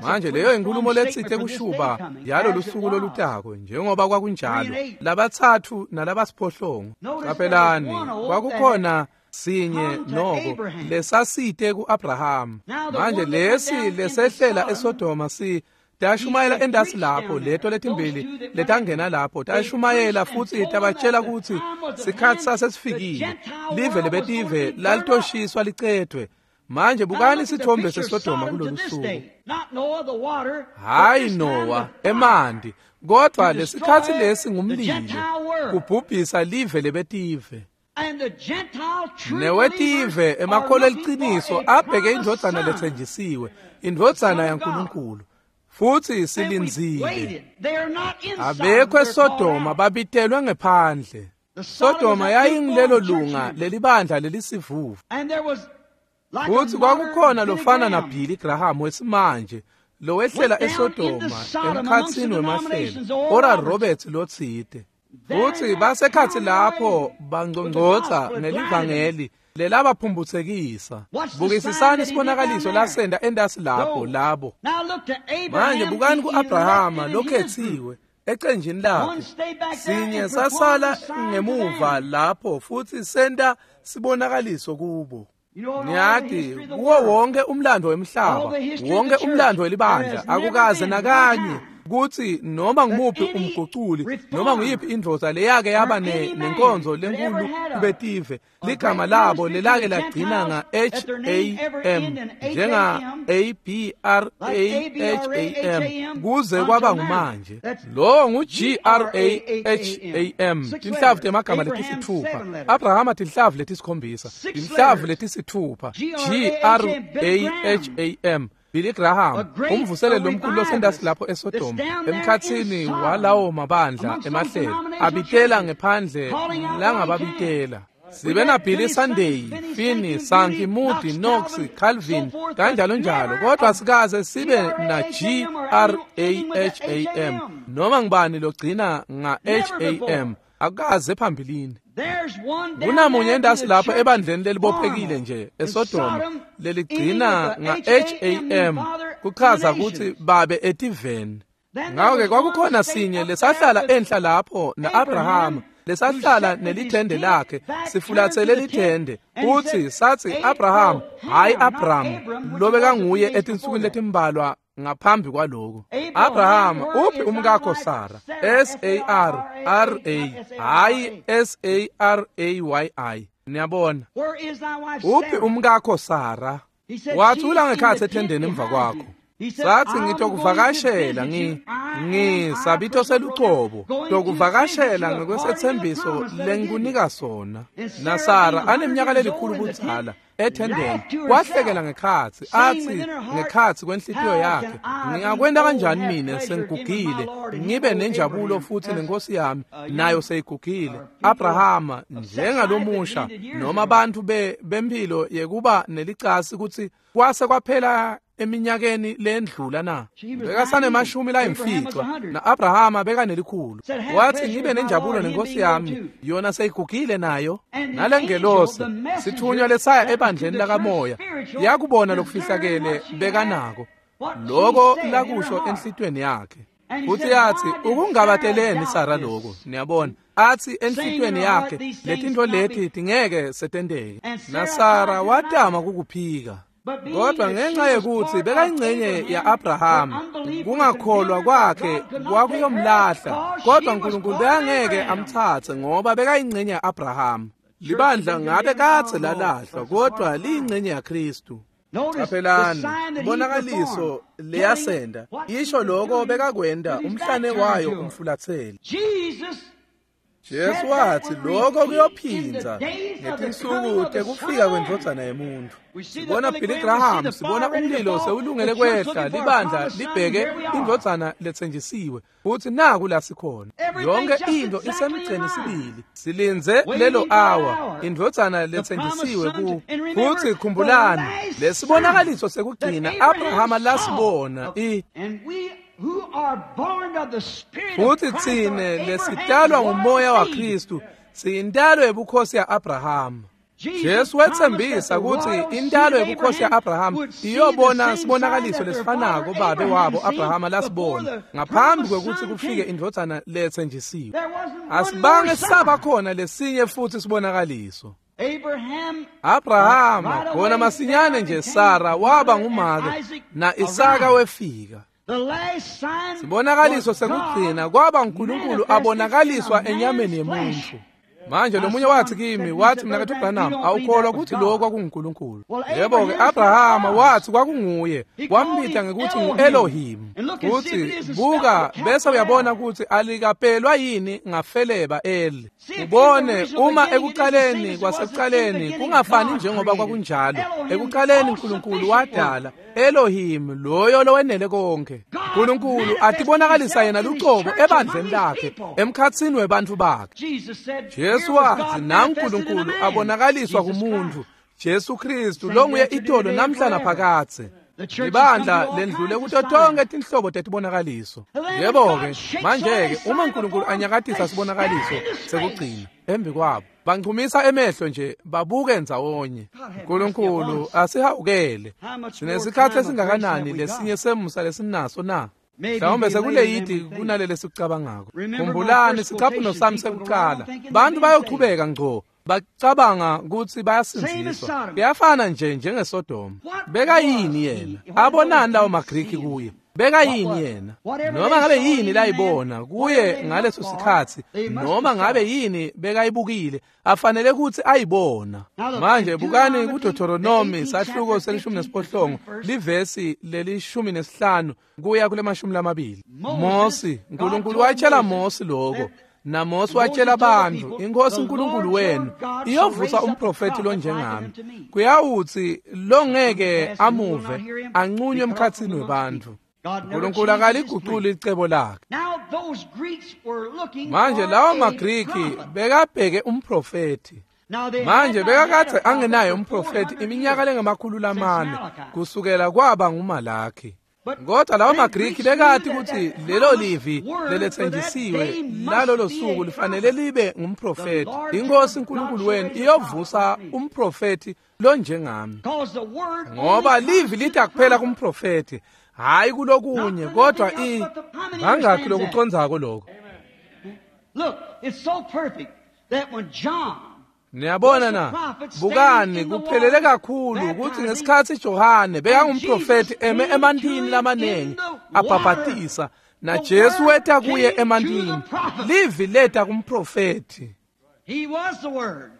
Manje leyo inkulumo letsite kushuba yalo lusuku lolutako njengoba kwakunjalo labatsatfu nalabasiphohlongo. Caphelani kwakukhona sinye noko lesasite ku-Abrahama. Manje lesi lesehlela eSodoma si tashumayela endasi lapho leto letimbili letangena lapho tashumayela futsi tabatshela kutsi sikhatsi sasesifikile live lebetive lalitoshiswa licedwe. Manje bukani sithombe seSodoma kulolu suku. Hayi Nowa emanti kodwa lesikhatsi lesi ngumlilo kubhubhisa live lebetive. Newetive emakholwa eliciniso abheke indvodzana letsenjisiwe indvodzana yaNkulunkulu. Futhi silindzile. Abekho eSodoma babitelwe ngephandle. Sodoma yayingilelo lunga lelibandla lelisivuvu. Futhi kwakukhona lofana naBilly Graham wesimanje lowehlela eSodoma emkhatsini wemahlelo Oral Roberts lotsite. Futhi basekhatsi lapho bangcongcotsa ngelivangeli lelabaphumbutsekisa. Bukisisani isibonakaliso lasenda endasi lapho labo. Manje bukani ku-Abrahama lokhetsiwe ecenjini lakhe. Sinye sasala ngemuva lapho futhi senta sibonakaliso kubo. Niyati kuwo wonke umlando wemhlaba wonke umlando welibandla akukaze nakanye kutsi noma ngumuphi umguculi noma nguyiphi indvodza leyake yaba nenkonzo lenkulu kubetive ligama labo lelake lagcina nga H A M njenga A B R A H A M kuze kwaba ngumanje. Lo ngu G R A H A M tinhlavu temagama letisithupha. Abrahama tinhlavu letisikhombisa tinhlavu letisithupha G R A H A M. Billy Graham umvuseleli lomkhulu losendasi lapho eSodoma emkhatsini walawo mabandla emahlelo abitela ngephandle langababitela. Sibe na Billy Sunday, Finney, Sankey, Moody, Knox, Calvin kanjalo njalo kodwa sikaze sibe na G R A H A M noma ngibani logcina nga H A M akukaze phambilini. Kunamunye endasi lapho ebandleni lelibophekile nje eSodoma leligcina nga H A M kuchaza ukuthi babe etiveni. Ngako-ke kwakukhona sinye lesahlala enhla lapho na-Abrahama, lesahlala nelithende lakhe, sifulathele lithende, futhi sathi Abraham, hayi Abraham, lobekanguye etinsukwini letimbalwa ngaphambi kwaloko. Abraham, uphi umkakho Sara? S A R R A, hayi S A R A Y I. Niyabona? Uphi umkakho Sara? Wathi ula ngekhatsi ethendeni emva kwakho. Sathi ngitokuvakashela ngi ngisabito selucobo tokuvakashela ngekwesethembiso lengikunika sona. NaSara aneminyaka lelikhulu budzala ethendeni wahlekela ngekhatsi athi ngekhatsi kwenhlitiyo yakhe, ngingakwenta kanjani mine sengigugile ngibe nenjabulo futhi nenkosi yami nayo seyigugile. Abrahama njengalomusha noma abantu be bempilo yekuba nelicasi kutsi kwase kwaphela eminyakeni lendlula na. Bekasanemashumi layimfica na-Abrahama bekanelikhulu. Wathi ngibe nenjabulo nenkosi yami yona seyigugile nayo. Nalengelosi sithunywa lesaya ebandleni lakamoya yakubona lokufihlakele bekanako loko lakusho enhlitweni yakhe. Futhi yathi ukungabateleni Sara lokho, niyabona, athi enhlitweni yakhe letinto leti tingeke setenteke. NaSara watama kukuphika. Kodwa ngenxa yekuthi bekayingcenye ya-Abrahama, kungakholwa kwakhe kwakuyomlahla, kodwa uNkulunkulu bekangeke amthathe ngoba bekayingcenye ya-Abrahama. Libandla ngabe kadze lalahlwa, kodwa liyingcenye yaKristu. Qaphelani, ibonakaliso leyasenda isho lokho bekakwenda umhlane wayo umfulathele. Jesu wathi lokho kuyophindza ngetinsuku tekufika kwendvodzana yemuntu. Sibona Billy Graham, sibona umlilo sewulungele kwehla, libandla libheke indvodzana letsenjisiwe, futhi naku la sikhona. Yonke into isemgceni sibili, silindze lelo hour, indvodzana letsenjisiwe ku. Futhi khumbulani, lesibonakaliso sekugcina Abrahama lasibona i futhi tsine lesitalwa ngumoya waKristu siyintalo yebukhosi ya-Abrahama. Jesu wethembisa ukuthi intalo yebukhosi ya-Abrahama iyobona sibonakaliso lesifanako babe wabo Abrahama lasibona ngaphambi kwekuthi kufike indvodzana letsenjisiwe. Asibange saba khona lesinye futhi sibonakaliso. Abrahama khona masinyane nje Sara waba ngumake na Isaka wefika. Sibonakaliso sekugcina kwaba uNkulunkulu abonakaliswa enyameni yemuntu. Manje lo munye wathi kimi, wathi mina kathi Branham, awukholwa ukuthi lokho kwakunguNkulunkulu? Yebo-ke, Abrahama wathi kwakunguye, wambita ngekuthi ngu-Elohim. Futhi buka bese uyabona ukuthi alikapelwa yini ngafeleba El. Ubone uma ekuqaleni kwasekuqaleni kungafani njengoba kwakunjalo. Ekuqaleni uNkulunkulu wadala Elohim, loyo lowenele konke. uNkulunkulu atibonakalisa yena lucobo ebandleni lakhe, emkhatsini webantu bakhe. Jesu wathi naNkulunkulu abonakaliswa kumuntu, Jesu Kristu longuye itolo namhla naphakadze. Libandla lendlule kuto tonke tinhlobo tetibonakaliso. Yebo-ke, manje-ke uma uNkulunkulu anyakatisa sibonakaliso sekugcina embi kwabo, banchumisa emehlo nje babuke ndzawonye. uNkulunkulu asihawukele. Sinesikhathi esingakanani lesinye semusa lesinaso na? Mhlawumbe sekuleyidi kunalele sikucabangako. Khumbulani sicaphuno sami sekuqala. Bantu bayochubeka ngco bacabanga ukuthi bayasindziswa. Kuyafana nje njengeSodoma. Bekayini yena? Abonani lawo maGriki kuye? Bekayini yena? Noma ngabe yini layibona kuye ngaleso sikhathi, noma ngabe yini bekayibukile, afanele ukuthi ayibona. Manje bukani kuDeuteronomy sahluko selishumi nesiphohlongo livesi lelishumi nesihlanu kuya kule mashumi lamabili. Mosi, uNkulunkulu watshela Mosi lokho. NaMose watshela abantu, inkosi uNkulunkulu wenu iyovusa umprofeti lonjengami. Kuyawuthi longeke amuve anqunywe emkhatsini webantu. uNkulunkulu akaliguquli icebo lakhe. Manje lawo maGriki bekabheke umprofeti. Manje bekakade angenaye umprofeti iminyaka lengamakhulu lamane kusukela kwaba nguMalaki. Kodwa lawo maGriki bekati kutsi lelo livi leletsenjisiwe lalolo suku lifanele libe ngumprofethi. Inkosi uNkulunkulu wenu iyovusa umprofethi lonjengami. Ngoba livi lithi kuphela kumprofethi, hayi kulokunye, kodwa i bangakhi lokucondzako lokho. Look, it's so perfect that when John Niyabona na, bukani kuphelele kakhulu ukuthi ngesikhathi Johane bekangumprofethi eme emantini lamanengi abhabhatisa, na Jesu weta kuye emantini. Livi leta kumprofethi. He was the word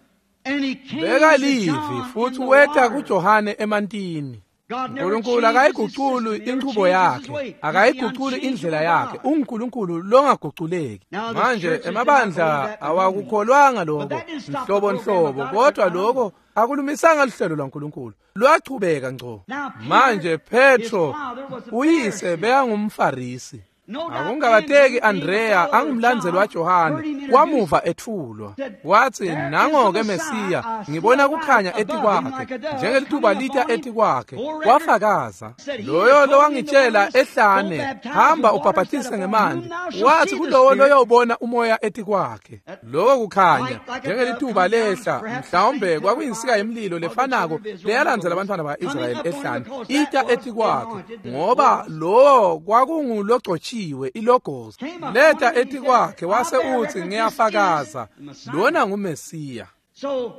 and he came Beka to livi John futhi in the weta water. kuJohane emantini. God never uNkulunkulu changes his akayiguculi system, never inchubo changes his yakhe, way. He's the akayiguculi indlela unchangeable yakhe. God. UNkulunkulu longaguculeki. Now the Manje churches did not emabandla believe that awakukholwanga But lokho that didn't stop the nhlobo program of nhlobo, God. kodwa lokho akulumisanga luhlelo lwaNkulunkulu, lwachubeka ngco. Now Peter, Manje Petro his father was a uyise Pharisee. bekangumFarisi. No doubt Akungabateki Andrew, being the Andrea follower of angumlandzeli John, waJohane heard him introduced, wamuva ethulwa said, wathi "There is nango-ke the Messiah. Mesiya I see ngibona a light kukhanya above him etikwakhe like a dove njengelituba coming lita upon him. etikwakhe Bore record, wafakaza said, "He loyo that told me in the lowangitshela wilderness, go ehlane baptize hamba with water, ubhabhatise said, "Upon ngemanti whom thou shalt wathi see the kulowo Spirit." loyobona umoya etikwakhe That loko kukhanya light like a dove njengelituba coming down, lehla perhaps the mhlawumbe same kwakuyinsika pillar of yemlilo fire of the lefanako children of Israel leyalandzela in the abantwana wilderness, ba-Israyeli coming up on him ehlane because that ita was the etikwakhe anointed, the ngoba Logos. lowo kwakungulogcotshiwe ilogos Came upon leta him and he said, etikwakhe "I wase bear uthi record this is ngiyafakaza the Messiah." lona nguMesiya. So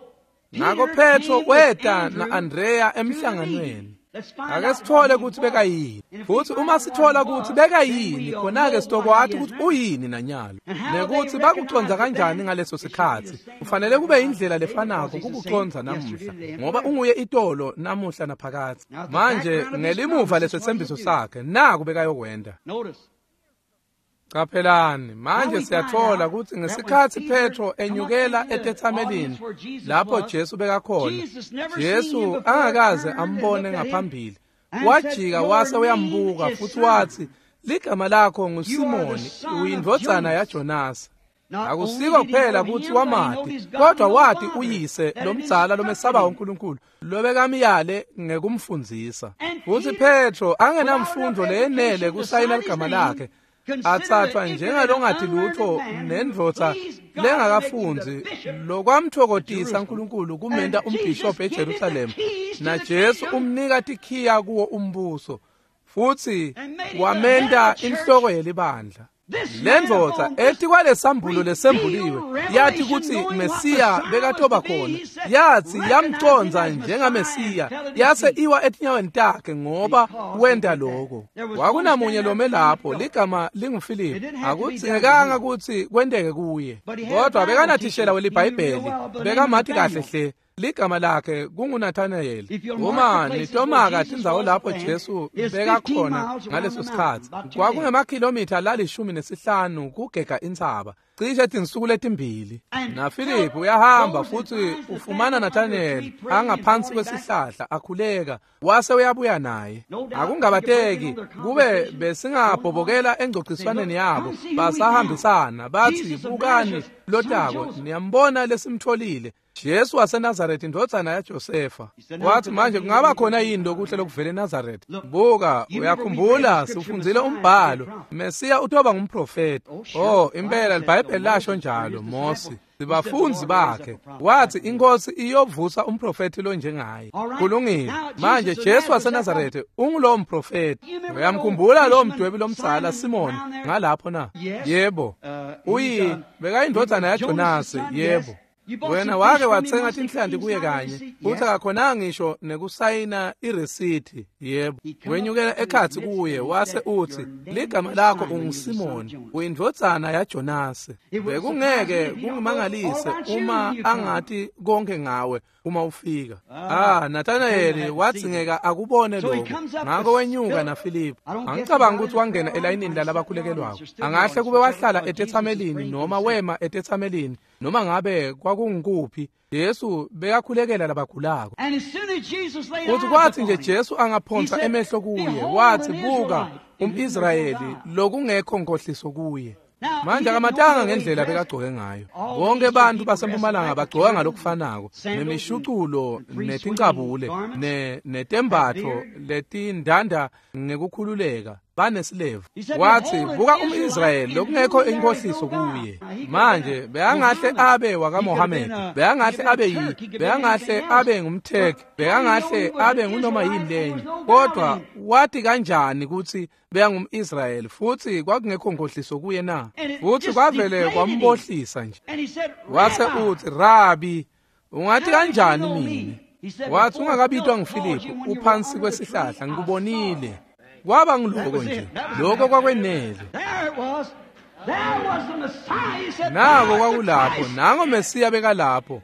Ngakho Peter Petro came with weta Andrew na-Andrea to the meeting. emhlanganweni. Let's find Ake out sithole what he ukuthi was. bekayini. And if we Futhi find uma out what sithola he ukuthi was, then bekayini, we'll khona-ke know what sitokwati he is ukuthi now. uyini nanyalo. And how they Nekuthi recognized bakuconza it kanjani then, ngaleso it should be the sikhathi. same Kufanele way kube we indlela recognize today, lefanako because he's the same kukuconza yesterday, namuhla, today, and ngoba forever. unguye itolo namuhla naphakadze. Now, the Manje background of his ngelimuva promise is what lesethembiso he'll do. sakhe, naku bekayokwenda. Notice. Qaphelani, Now manje we find siyathola out ukuthi that when ngesikhathi Peter Petro come up enyukela into the etethamelini audience where Jesus lapho was, Jesu bekakhona, Jesus never seen him Jesu before, angakaze turned and ambone looked at him ngaphambili. and said, Wajika "Your wase name uyambuka is futhi Simon. wathi, ligama lakho You are the nguSimoni, son of uyindvodzana Jonas." yaJonasi. Not Akusiko only did he kuphela know ukuthi him, but he wamati, knowed his kodwa godly wathi father uyise that had lomdzala lomesaba instructed him. uNkulunkulu lobekamyale ngekumfundzisa. And Futhi Peter, Petro without angenamfundo enough leyenele education to kusayina sign his ligama name, lakhe, considered athathwa an ignorant and njengalongathi unlearned lutho man who nendvodza pleased God to make him the lengakafundzi bishop of lokwamthokodisa Jerusalem. uNkulunkulu kumenta And Jesus umbhishobhi gave him the eJerusalema. keys to Na the Jesu kingdom umnika tikhiya kuwo umbuso futhi and made him the head wamenta of the church. inhloko yelibandla. This Le man ndvodza upon this etikwalesambulo revealed lesembuliwe yathi revelation, kutsi knowing what Mesiya Messiah was bekatoba to be, khona, he said, yathi recognize him yamconza as Messiah and njengaMesiya, fell at his yase feet. iwa etinyaweni takhe ngoba Because he wenta did that. loko. There was one Kwakunamunye standing lome there named lapho Philip. ligama It linguFilipu, didn't have to be done to akudzingekanga him. kutsi kwenteke kuye, But he had a kodwa Bible teacher. bekanathishela He knew real welibhayibheli, well by the name of bekamati kahle Nathaniel. hle ligama lakhe kunguNathanael. If you'll mark Uma the places where nitomaka Jesus tindzawo was lapho then, Jesu it's fifteen bekakhona miles around ngaleso the mountain, sikhatsi, about two days. kwakungemakhilomitha lalishumi nesihlanu kugega intsaba, cishe tinsuku letimbili. And NaFilipu Philip uyahamba goes and futhi finds ufumana Nathanael under a Nathanael tree praying and angaphansi brought him back. kwesihlahla akhuleka, wase uyabuya naye. No doubt we could break in Akungabateki on their kube conversation going on. besingabhobokela Say, engcociswaneni look, yabo, come see who we found. basahambisana bathi Jesus of bukani Nazareth, son of lotako Joseph. niyambona lesimtholile Jesu waseNazaretha indvodzana yaJosefa. He said, now Wathi could there manje be kungaba anything khona good yini out of lokuhle Nazareth? lokuvela eNazaretha? Look, Buka, you remember we read the uyakhumbula scripture sifundzile Messiah to be a umbhalo prophet. Mesiya utoba ngumprofeti. Oh, sure. Oh, The Bible impela says so. liBhayibheli lasho Moses njalo produced Mose disciple. He said the sibafunzi Lord raised up bakhe a prophet wathi like me. inkosi iyovusa umprofeti lonjengaye. All right. Kulungile. Now Manje Jesus of Jesu Nazareth, that prophet. waseNazaretha ungulowo mprofeti. You remember that old Uyamkhumbula lowo fisherman mdwebi lomdzala Simon Simoni down there? ngalapho na? Yes. Yebo. Uh, he's Uyi uh, he bekayindvodzana was Jonas' yaJonasi, son. Yes. yebo. You bought Wena some wake fish from him wathenga once that tinhlanti couldn't kuye sign the kanye receipt. futhi Yes. akakhonanga ngisho nekusayina iresithi. Yebo. He come up Wenyukela to his ekhatsi midst kuye and he wase said, uthi Your name ligama is lakho Simon, you're the son of unguSimoni, Jonas. uyindvodzana yaJonasi. It wouldn't surprise me Bekungeke if he don't know all kungimangalise about you uma when you come. angati konke ngawe uma ufika. Ah, Ah, Nathaniel Nathanael had to see that. wadzingeka akubone So he lokho. comes up Ngakho with wenyuka Philip. naFilipu. I don't guess he Angicabangi got in ukuthi the wangena prayer line. elayinini Might sit in the lalabakhulekelwako. audience or stood in the Angahle audience, kube whichever wahlala because Jesus is etethamelini praying for the noma sick. wema etethamelini noma ngabe kwakungukuphi. Jesu bekakhulekela labagulako. And as soon as Jesus laid Futhi eyes kwathi nje upon him, Jesu he angaphonsa said, emehlo kuye Behold wathi an buka Israelite in whom there's no umIsrayeli guile. lokungekho nkohliso kuye. Manje akamatanga ngendlela bekagcoke ngayo. Bonke bantu basempumalanga bagcoka ngalokufanako, nemishuculo netincabule ne netembatfo letindanda ngekukhululeka banesilevu. Wathi buka umIsrayeli lokungekho inkohliso kuye. Manje beyangahle abe wakaMohammed, beyangahle abe yi, beyangahle abe ngumTurk, beyangahle abe ngunoma yini lenye. Kodwa wathi kanjani ukuthi beyangumIsrayeli futhi kwakungekho nkohliso kuye na? Futhi kwavele kwambohlisa nje. Wase uthi Rabi, ungathi kanjani mina? Wathi ungakabitwa nguFilipu uphansi kwesihlahla ngikubonile. Kwaba ngiloko nje, lokho kwakwenele. Nako kwakulapho, nango Mesiya bekalapho.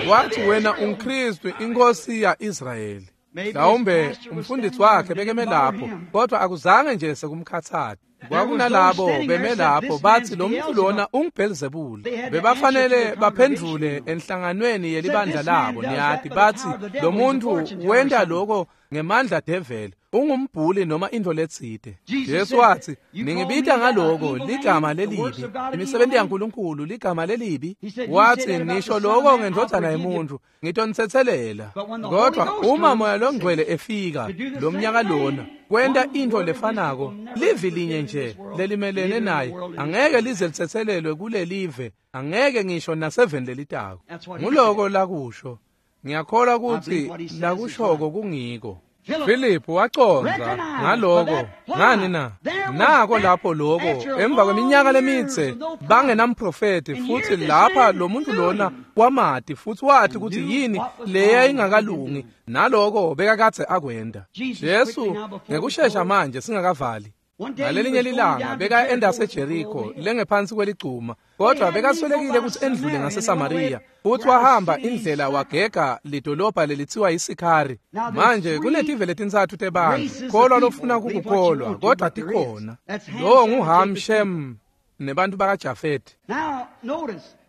Wathi wena ungiKristu inkosi ya-Israyeli. Mhlawumbe umfundisi wakhe bekeme lapho, kodwa akuzange nje sekumkhathaza. Kwakunalabo beme lapho bathi lo muntu lona unguBhelzebule. Bebafanele baphendvule enhlanganweni yelibandla labo, niyathi bathi lo muntu wenta lokho ngemandla devil, ungumbhuli noma into letsite. Jesu wathi ningibita ngaloko ligama lelibi, imisebenzi yaNkulunkulu ligama lelibi. Wathi nisho lokho ngendodana yemuntu ngitonithethelela, kodwa uma moya longcwele efika lo mnyaka lona kwenta into lefanako, livi linye nje lelimelene naye angeke lize lithethelelwe kulelive, angeke ngisho naseveni lelitako. Nguloko lakusho. Ngiyakholwa ukuthi lakushoko kungiko. Philip waconza ngaloko ngani na? Nako lapho lokho emva kweminyaka lemitse bangenamprofeti, futhi lapha lo muntu lona wamati futhi wathi ukuthi yini leya ingakalungi, naloko bekakadze akwenda. Jesu ngekushesha manje singakavali. Ngalelinye lilanga beka endase Jericho lengephansi kweligcuma, kodwa bekaswelekile ukuthi endlule ngaseSamaria, futhi wahamba indlela wagega lidolobha lelithiwa iSikhari. Manje kunetive letintsatfu tebantu, kholwa lofuna kukukholwa, kodwa tikhona. Lowo nguHam, Shem nebantu bakaJafeti.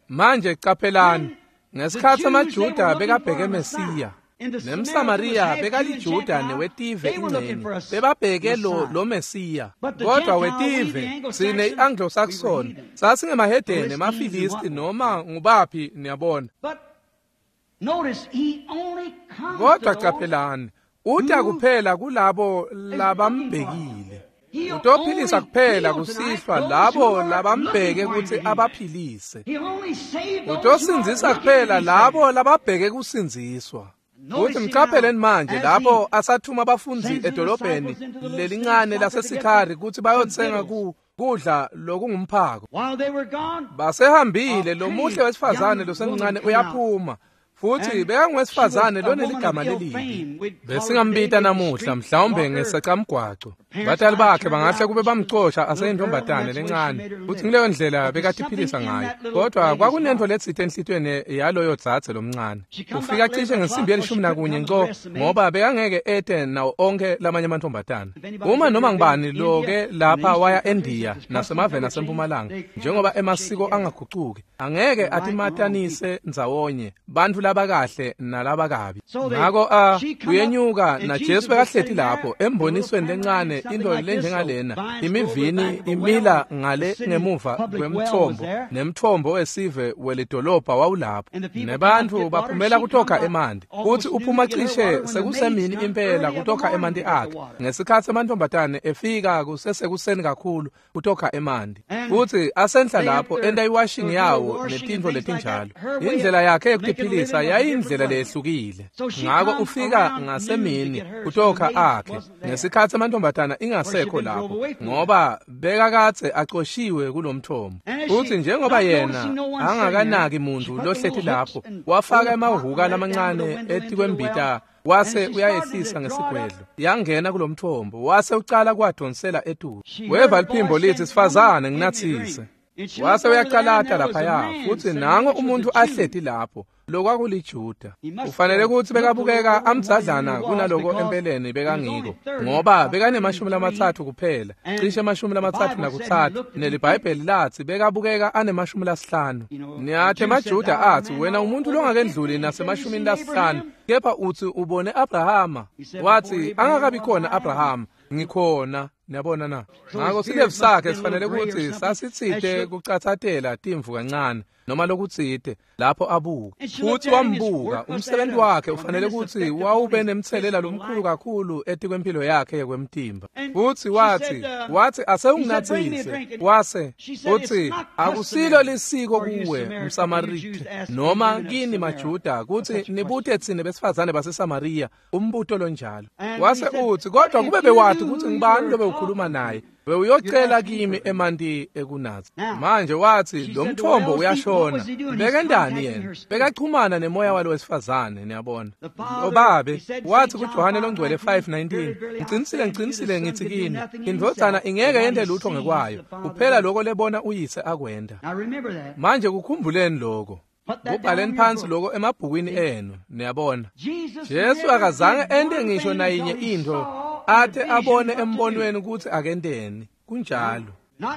Manje caphelani, ngesikhatsi amaJuda bekabheke Mesiya, nemSamaria bekaliJuda newetive ingcene, bebabheke lo lo Mesiya. Kodwa wetive sine iAnglo-Saxon sasingemahedeni nemaFilisti noma ngubaphi, niyabona. Kodwa caphelani, uta kuphela kulabo labambhekile. Utophilisa kuphela kusihlwa labo labambheke ukuthi abaphilise. Utosindzisa kuphela labo lababheke kusindziswa. Uthi mqapheleni manje lapho asathuma abafundzi edolobheni lelincane laseSikhari ukuthi bayothenga ku kudla lokungumphako. Basehambile lo muhle wesifazane losemncane uyaphuma, futhi bekangowesifazane loneligama lelibi. Besingambita namuhla mhlawumbe ngesacamgwaco. Batali bakhe bangahle kube bamcosha aseyintombatane lencane, futhi ngileyo ndlela bekatiphilisa ngayo. Kodwa kwakunento letsite enhlitiyweni yaloyo dzadze lomncane. Ufika cishe ngensimbi yelishumi nakunye nco, ngoba bekangeke ete nawo onke lamanye amantombatane. Uma noma ngibani loke lapha waya eNdiya nasemaveni asempumalanga, njengoba emasiko angagucuki, angeke atimatanise ndzawonye bantfu labakahle nalabakabi. Ngako a uyenyuka na Jesu bekahleti lapho embonisweni lencane, into lenjengalena, imivini imila ngale ngemuva kwemthombo, nemthombo wesive welidolobha wawulapho, nebantfu baphumela kutokha emanti. Futhi uphuma cishe sekusemini impela kutokha emanti akhe, ngesikhatsi amantombazane efika kusesekuseni kakhulu kutokha emanti. Futhi asenhla lapho enta iwashing yawo netintfo letinjalo. Indlela yakhe yekutiphilisa yayindlela leyehlukile. Ngako ufika ngasemini kutokha akhe, ngesikhatsi amantombazana ingasekho lapho, ngoba bekakadze acoshiwe kulomthombo. Futhi njengoba yena angakanaki muntu lohleti lapho, wafaka emahhuka lamancane etikwembita wase uyayehlisa ngesigwedlo, yangena kulomthombo, wase ucala kwadonsela etulu. Weva liphimbo lithi, sifazane nginathise. Wase uyacalata laphaya, futhi nango umuntu ahleti lapho lokwakuliJuda. Ufanele ukuthi bekabukeka amdzadlana kunaloko empeleni bekangiko, ngoba bekanemashumi lamatsatfu kuphela, cishe emashumi lamatsatfu nakutsatfu, neliBhayibheli lathi bekabukeka anemashumi lasihlanu. Niyathi emaJuda athi, wena umuntu longakendluli nasemashumini lasihlanu, kepha uthi ubone Abrahama. Wathi angakabi khona Abrahama, ngikhona. Niyabona na? Ngako silevu sakhe sifanele kutsi sasitsite kucatsatela timvu kancane noma lokutsite lapho abuka. Futsi wambuka, umsebenzi wakhe ufanele kutsi wawube nemtselela lomkhulu kakhulu etikwempilo yakhe yekwemtimba. Futsi watsi, watsi asewunginatsise, wase utsi akusilo lisiko kuwe mSamarita noma kini maJuda kutsi nibute tsine besifazane baseSamariya umbuto lonjalo. Wase utsi kodwa kube bewathi kutsi ngibani lobe ukhuluma naye bewuyocela kimi emanti ekunatsa. Manje wathi lo mthombo uyashona. Bekendani yena? Bekachumana nemoya walo wesifazane, niyabona. Obabe wathi kuJohane longcwele five nineteen, ngicinisile ngicinisile ngithi kini, indvodzana ingeke yente lutho ngekwayo, kuphela lokho lebona uyise akwenda. Manje kukhumbuleni lokho. Kubhaleni phansi lokho emabhukwini enu, niyabona. Jesu akazange ente ngisho nayinye into ate abone embonweni ukuthi akenteni. Kunjalo.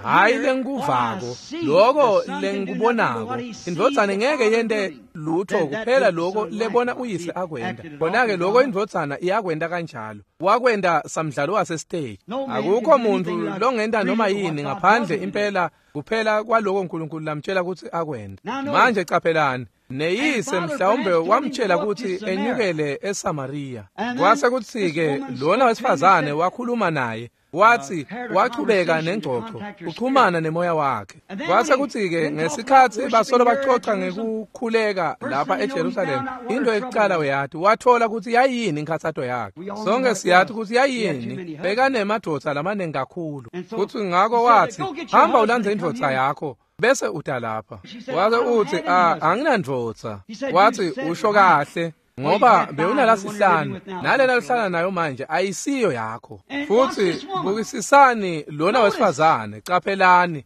Hayi lengikuvako, lokho lengikubonako. Indvodzana ngeke yente lutho kuphela lokho lebona uyise akwenda. Bona-ke lokho indvodzana iyakwenda kanjalo. Wakwenda samdlalo wasestage. Akukho muntu longenta noma yini ngaphandle impela kuphela kwaloko uNkulunkulu lamtshela ukuthi akwenda. Manje caphelani, neyise mhlawumbe wamtshela ukuthi enyukele eSamariya. Kwase kuthi-ke lona wesifazane wakhuluma naye, wathi wachubeka nengxoxo uxhumana nemoya wakhe. Kwase kuthi-ke ngesikhathi basolo baxoxa ngekukhuleka lapha eJerusalem, into ekucala uyathi wathola ukuthi yayini inkhathato yakhe. Sonke siyathi ukuthi yayini, bekanemadvodza lamaningi kakhulu. Futhi ngakho wathi hamba ulandze indvodza yakho bese uta lapha. Wase uthi anginandvodza. Wathi usho kahle, ngoba bewunalasihlanu nalena lohlala nayo manje ayisiyo yakho. Futhi bukisisani lona wesifazane, caphelani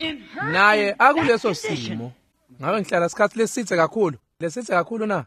naye akuleso simo. Ngabe ngihlala isikhathi lesithe kakhulu, lesithe kakhulu na?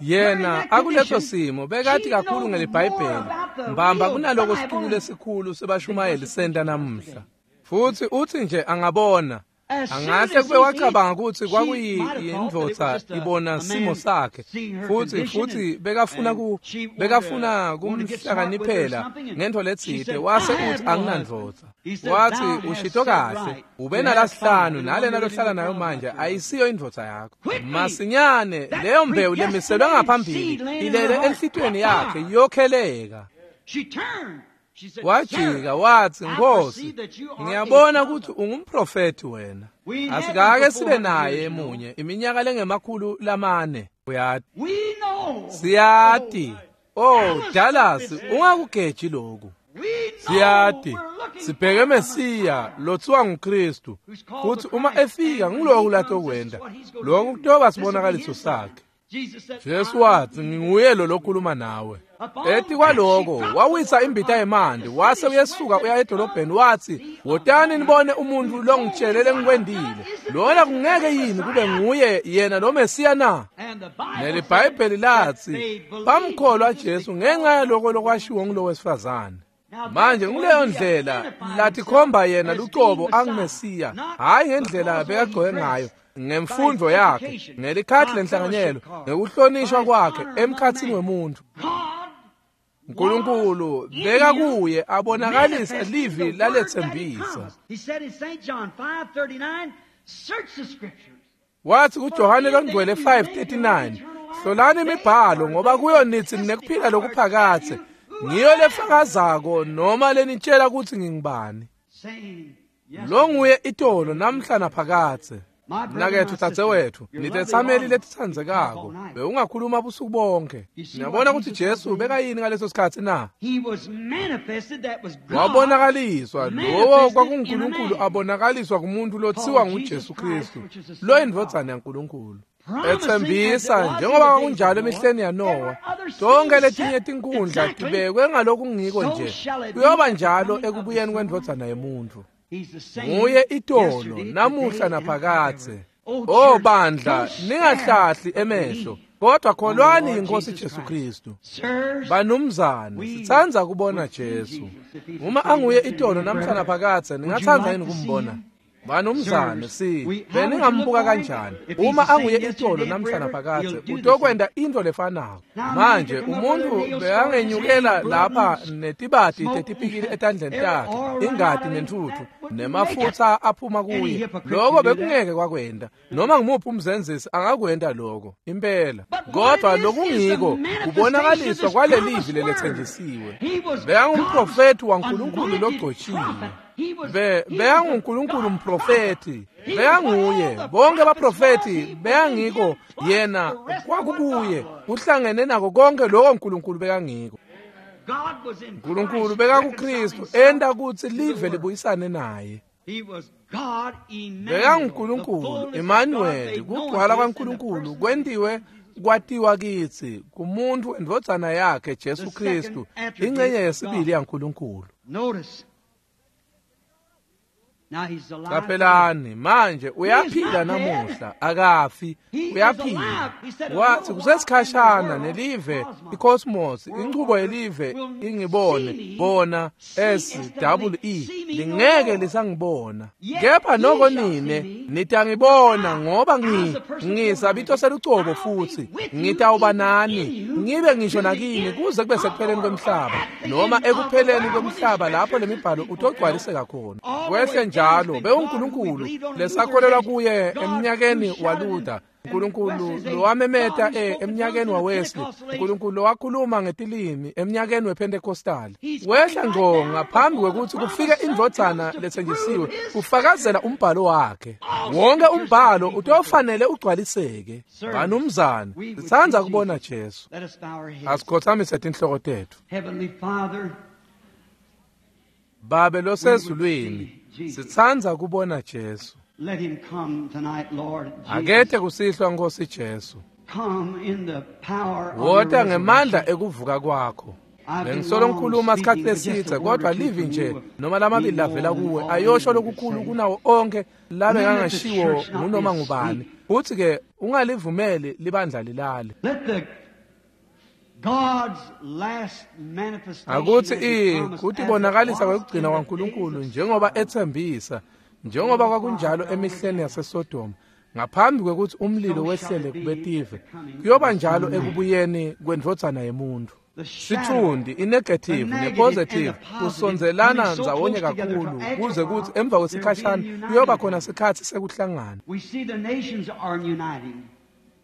Yena akuleso simo bekathi kakhulu ngeliBhayibheli mbamba kunaloko sicuku lesikhulu sebashumayeli senta namuhla. Futhi uthi nje angabona, angahle kube wacabanga ukuthi kwakuyindvodza ibona simo sakhe, futhi futhi bekafuna ku bekafuna kumhlakaniphela ngento letsite. Wase uthi anginandvodza. Wathi ushito kahle, ube nalasihlanu nalena lohlala nayo manje ayisiyo indvodza yakho. Masinyane leyo mbewu lemiselwe ngaphambili ilele enhlitweni yakhe yokheleka. Wajika wathi, Nkosi, ngiyabona ukuthi ungumprofeti wena. Asikake sibe naye emunye iminyaka lengemakhulu lamane. Uyati, siyati. Oh Dallas, ungakugeji lokhu. Siyati sibheke Mesiya lothiwa nguKristu, futhi uma efika ngilokhu latokwenda. Lokhu kutoba sibonakaliso sakhe. Jesu wathi nginguye lo lokhuluma nawe. Ethi kwaloko wawisa imbita yemanti, wase uyesuka uya edolobheni wathi wotani nibone umuntu longitshelele lengikwendile. Lona kungeke yini kube nguye yena lo Mesiya na? NeliBhayibheli lathi bamkholwa Jesu ngenxa yaloko lokwashiwo ngulo wesifazane. Manje nguleyo ndlela lathi khomba yena lucobo anguMesiya, hayi ngendlela bekagcoke ngayo, ngemfundo yakhe, ngelikhathi lenhlanganyelo, ngekuhlonishwa kwakhe emkhathini wemuntu. uNkulunkulu beka kuye abonakalisa livi lalethembisa. Wathi kuJohane longcwele five thirty-nine, hlolani imibhalo ngoba kuyo nithi ninekuphila lokuphakathe, ngiyo lefakazako noma lenitshela ukuthi ngingubani. Lo nguye itolo namhla naphakathe. Mnakethu, dzadzewethu, nitetsameli letitsandzekako, bewungakhuluma busuku bonke. Niyabona ukuthi Jesu bekayini ngaleso sikhathi na? Wabonakaliswa, lowo kwakunguNkulunkulu abonakaliswa kumuntu lothiwa nguJesu Kristu, lo indvodzana yaNkulunkulu. Ethembisa njengoba kwakunjalo emihleni yaNowa, tonke letinye tinkundla tibekwe ngalokungiko nje, kuyoba njalo ekubuyeni kwendvodzana yemuntu. Nguye itolo namuhla naphakathe. Oh bandla, ningahlahli emehlo, kodwa kholwani inkosi Jesu Kristu. Banumzane, sitsandza kubona Jesu. Uma anguye itolo namhla naphakathe, ningatsandza yini kumbona? Banumzane si beningambuka kanjani uma anguye itolo namhla naphakadze utokwenta into lefanako. Manje umuntu bekangenyukela lapha netibati tetipikili etandleni takhe, ingati nentuthu nemafutsa aphuma kuye. Lokho bekungeke kwakwenta. Noma ngimuphi umzenzisi angakwenta lokho impela. Kodwa lokungiko kubonakaliswa kwalelivi lelethenjisiwe. Bekangumprofethi waNkulunkulu logcotshiwe. Be beyanguNkulunkulu umprofethi, beyanguye bonke abaprofethi beyangiko yena kwakukuye kuhlangene nako konke lokho uNkulunkulu bekangiko. uNkulunkulu bekakuKristu enta kutsi live libuyisane naye. BekanguNkulunkulu Emmanuel, kugcwala kwaNkulunkulu kwentiwe kwatiwa kitsi kumuntu endvodzana yakhe Jesu Kristu, ingcenye yesibili yaNkulunkulu. Qaphelani manje uyaphila namuhla, akafi, uyaphila. Wathi kusesikhashana nelive icosmos, inchubo yelive ingibone bona S W E lingeke lisangibona, kepha noko nine nitangibona, ngoba ngi ngisabito selucobo futhi ngitawuba nani ngibe ngisho nakini kuze kube sekupheleni kwemhlaba, noma ekupheleni kwemhlaba lapho lemibhalo utogcwaliseka khona. Kwehle njalo bewuNkulunkulu lesakholelwa kuye eminyakeni waLuther, uNkulunkulu lowamemeta eminyakeni waWesley, uNkulunkulu lowakhuluma ngetilimi eminyakeni wePentecostal. Wehla ngqo ngaphambi kwekutsi kufike indvodzana lethenjisiwe kufakazela umbhalo wakhe. Wonke umbhalo utofanele ugcwaliseke. Banumzane, sitsandza kubona Jesu. Asikhothamise tinhloko tetfu. Babe losezulwini, sitsandza kubona Jesu. Let him come tonight, Lord Jesus. Akethe kusihlwa Nkosi Jesu. Come in the power of Wota ngemandla ekuvuka kwakho. Bengisolo ngikhuluma isikhathi lesidze, kodwa livi nje noma lamabili lavela kuwe ayosho lokukhulu kunawo onke labe ngangashiwo ngunoma ngubani. Futhi ke ungalivumeli libandla lilale. Let the God's last manifestation Akuthi i kutibonakalisa kwekugcina kwaNkulunkulu njengoba ethembisa, njengoba kwakunjalo emihleni yaseSodoma ngaphambi kwekutsi umlilo wehlele kubetive, kuyoba njalo ekubuyeni kwendvodzana yemuntu. Sithundi inegative nepositive kusonzelana ndzawonye kakhulu kuze kutsi emva kwesikhashana kuyoba khona sikhatsi sekuhlangana. We see the nations are uniting.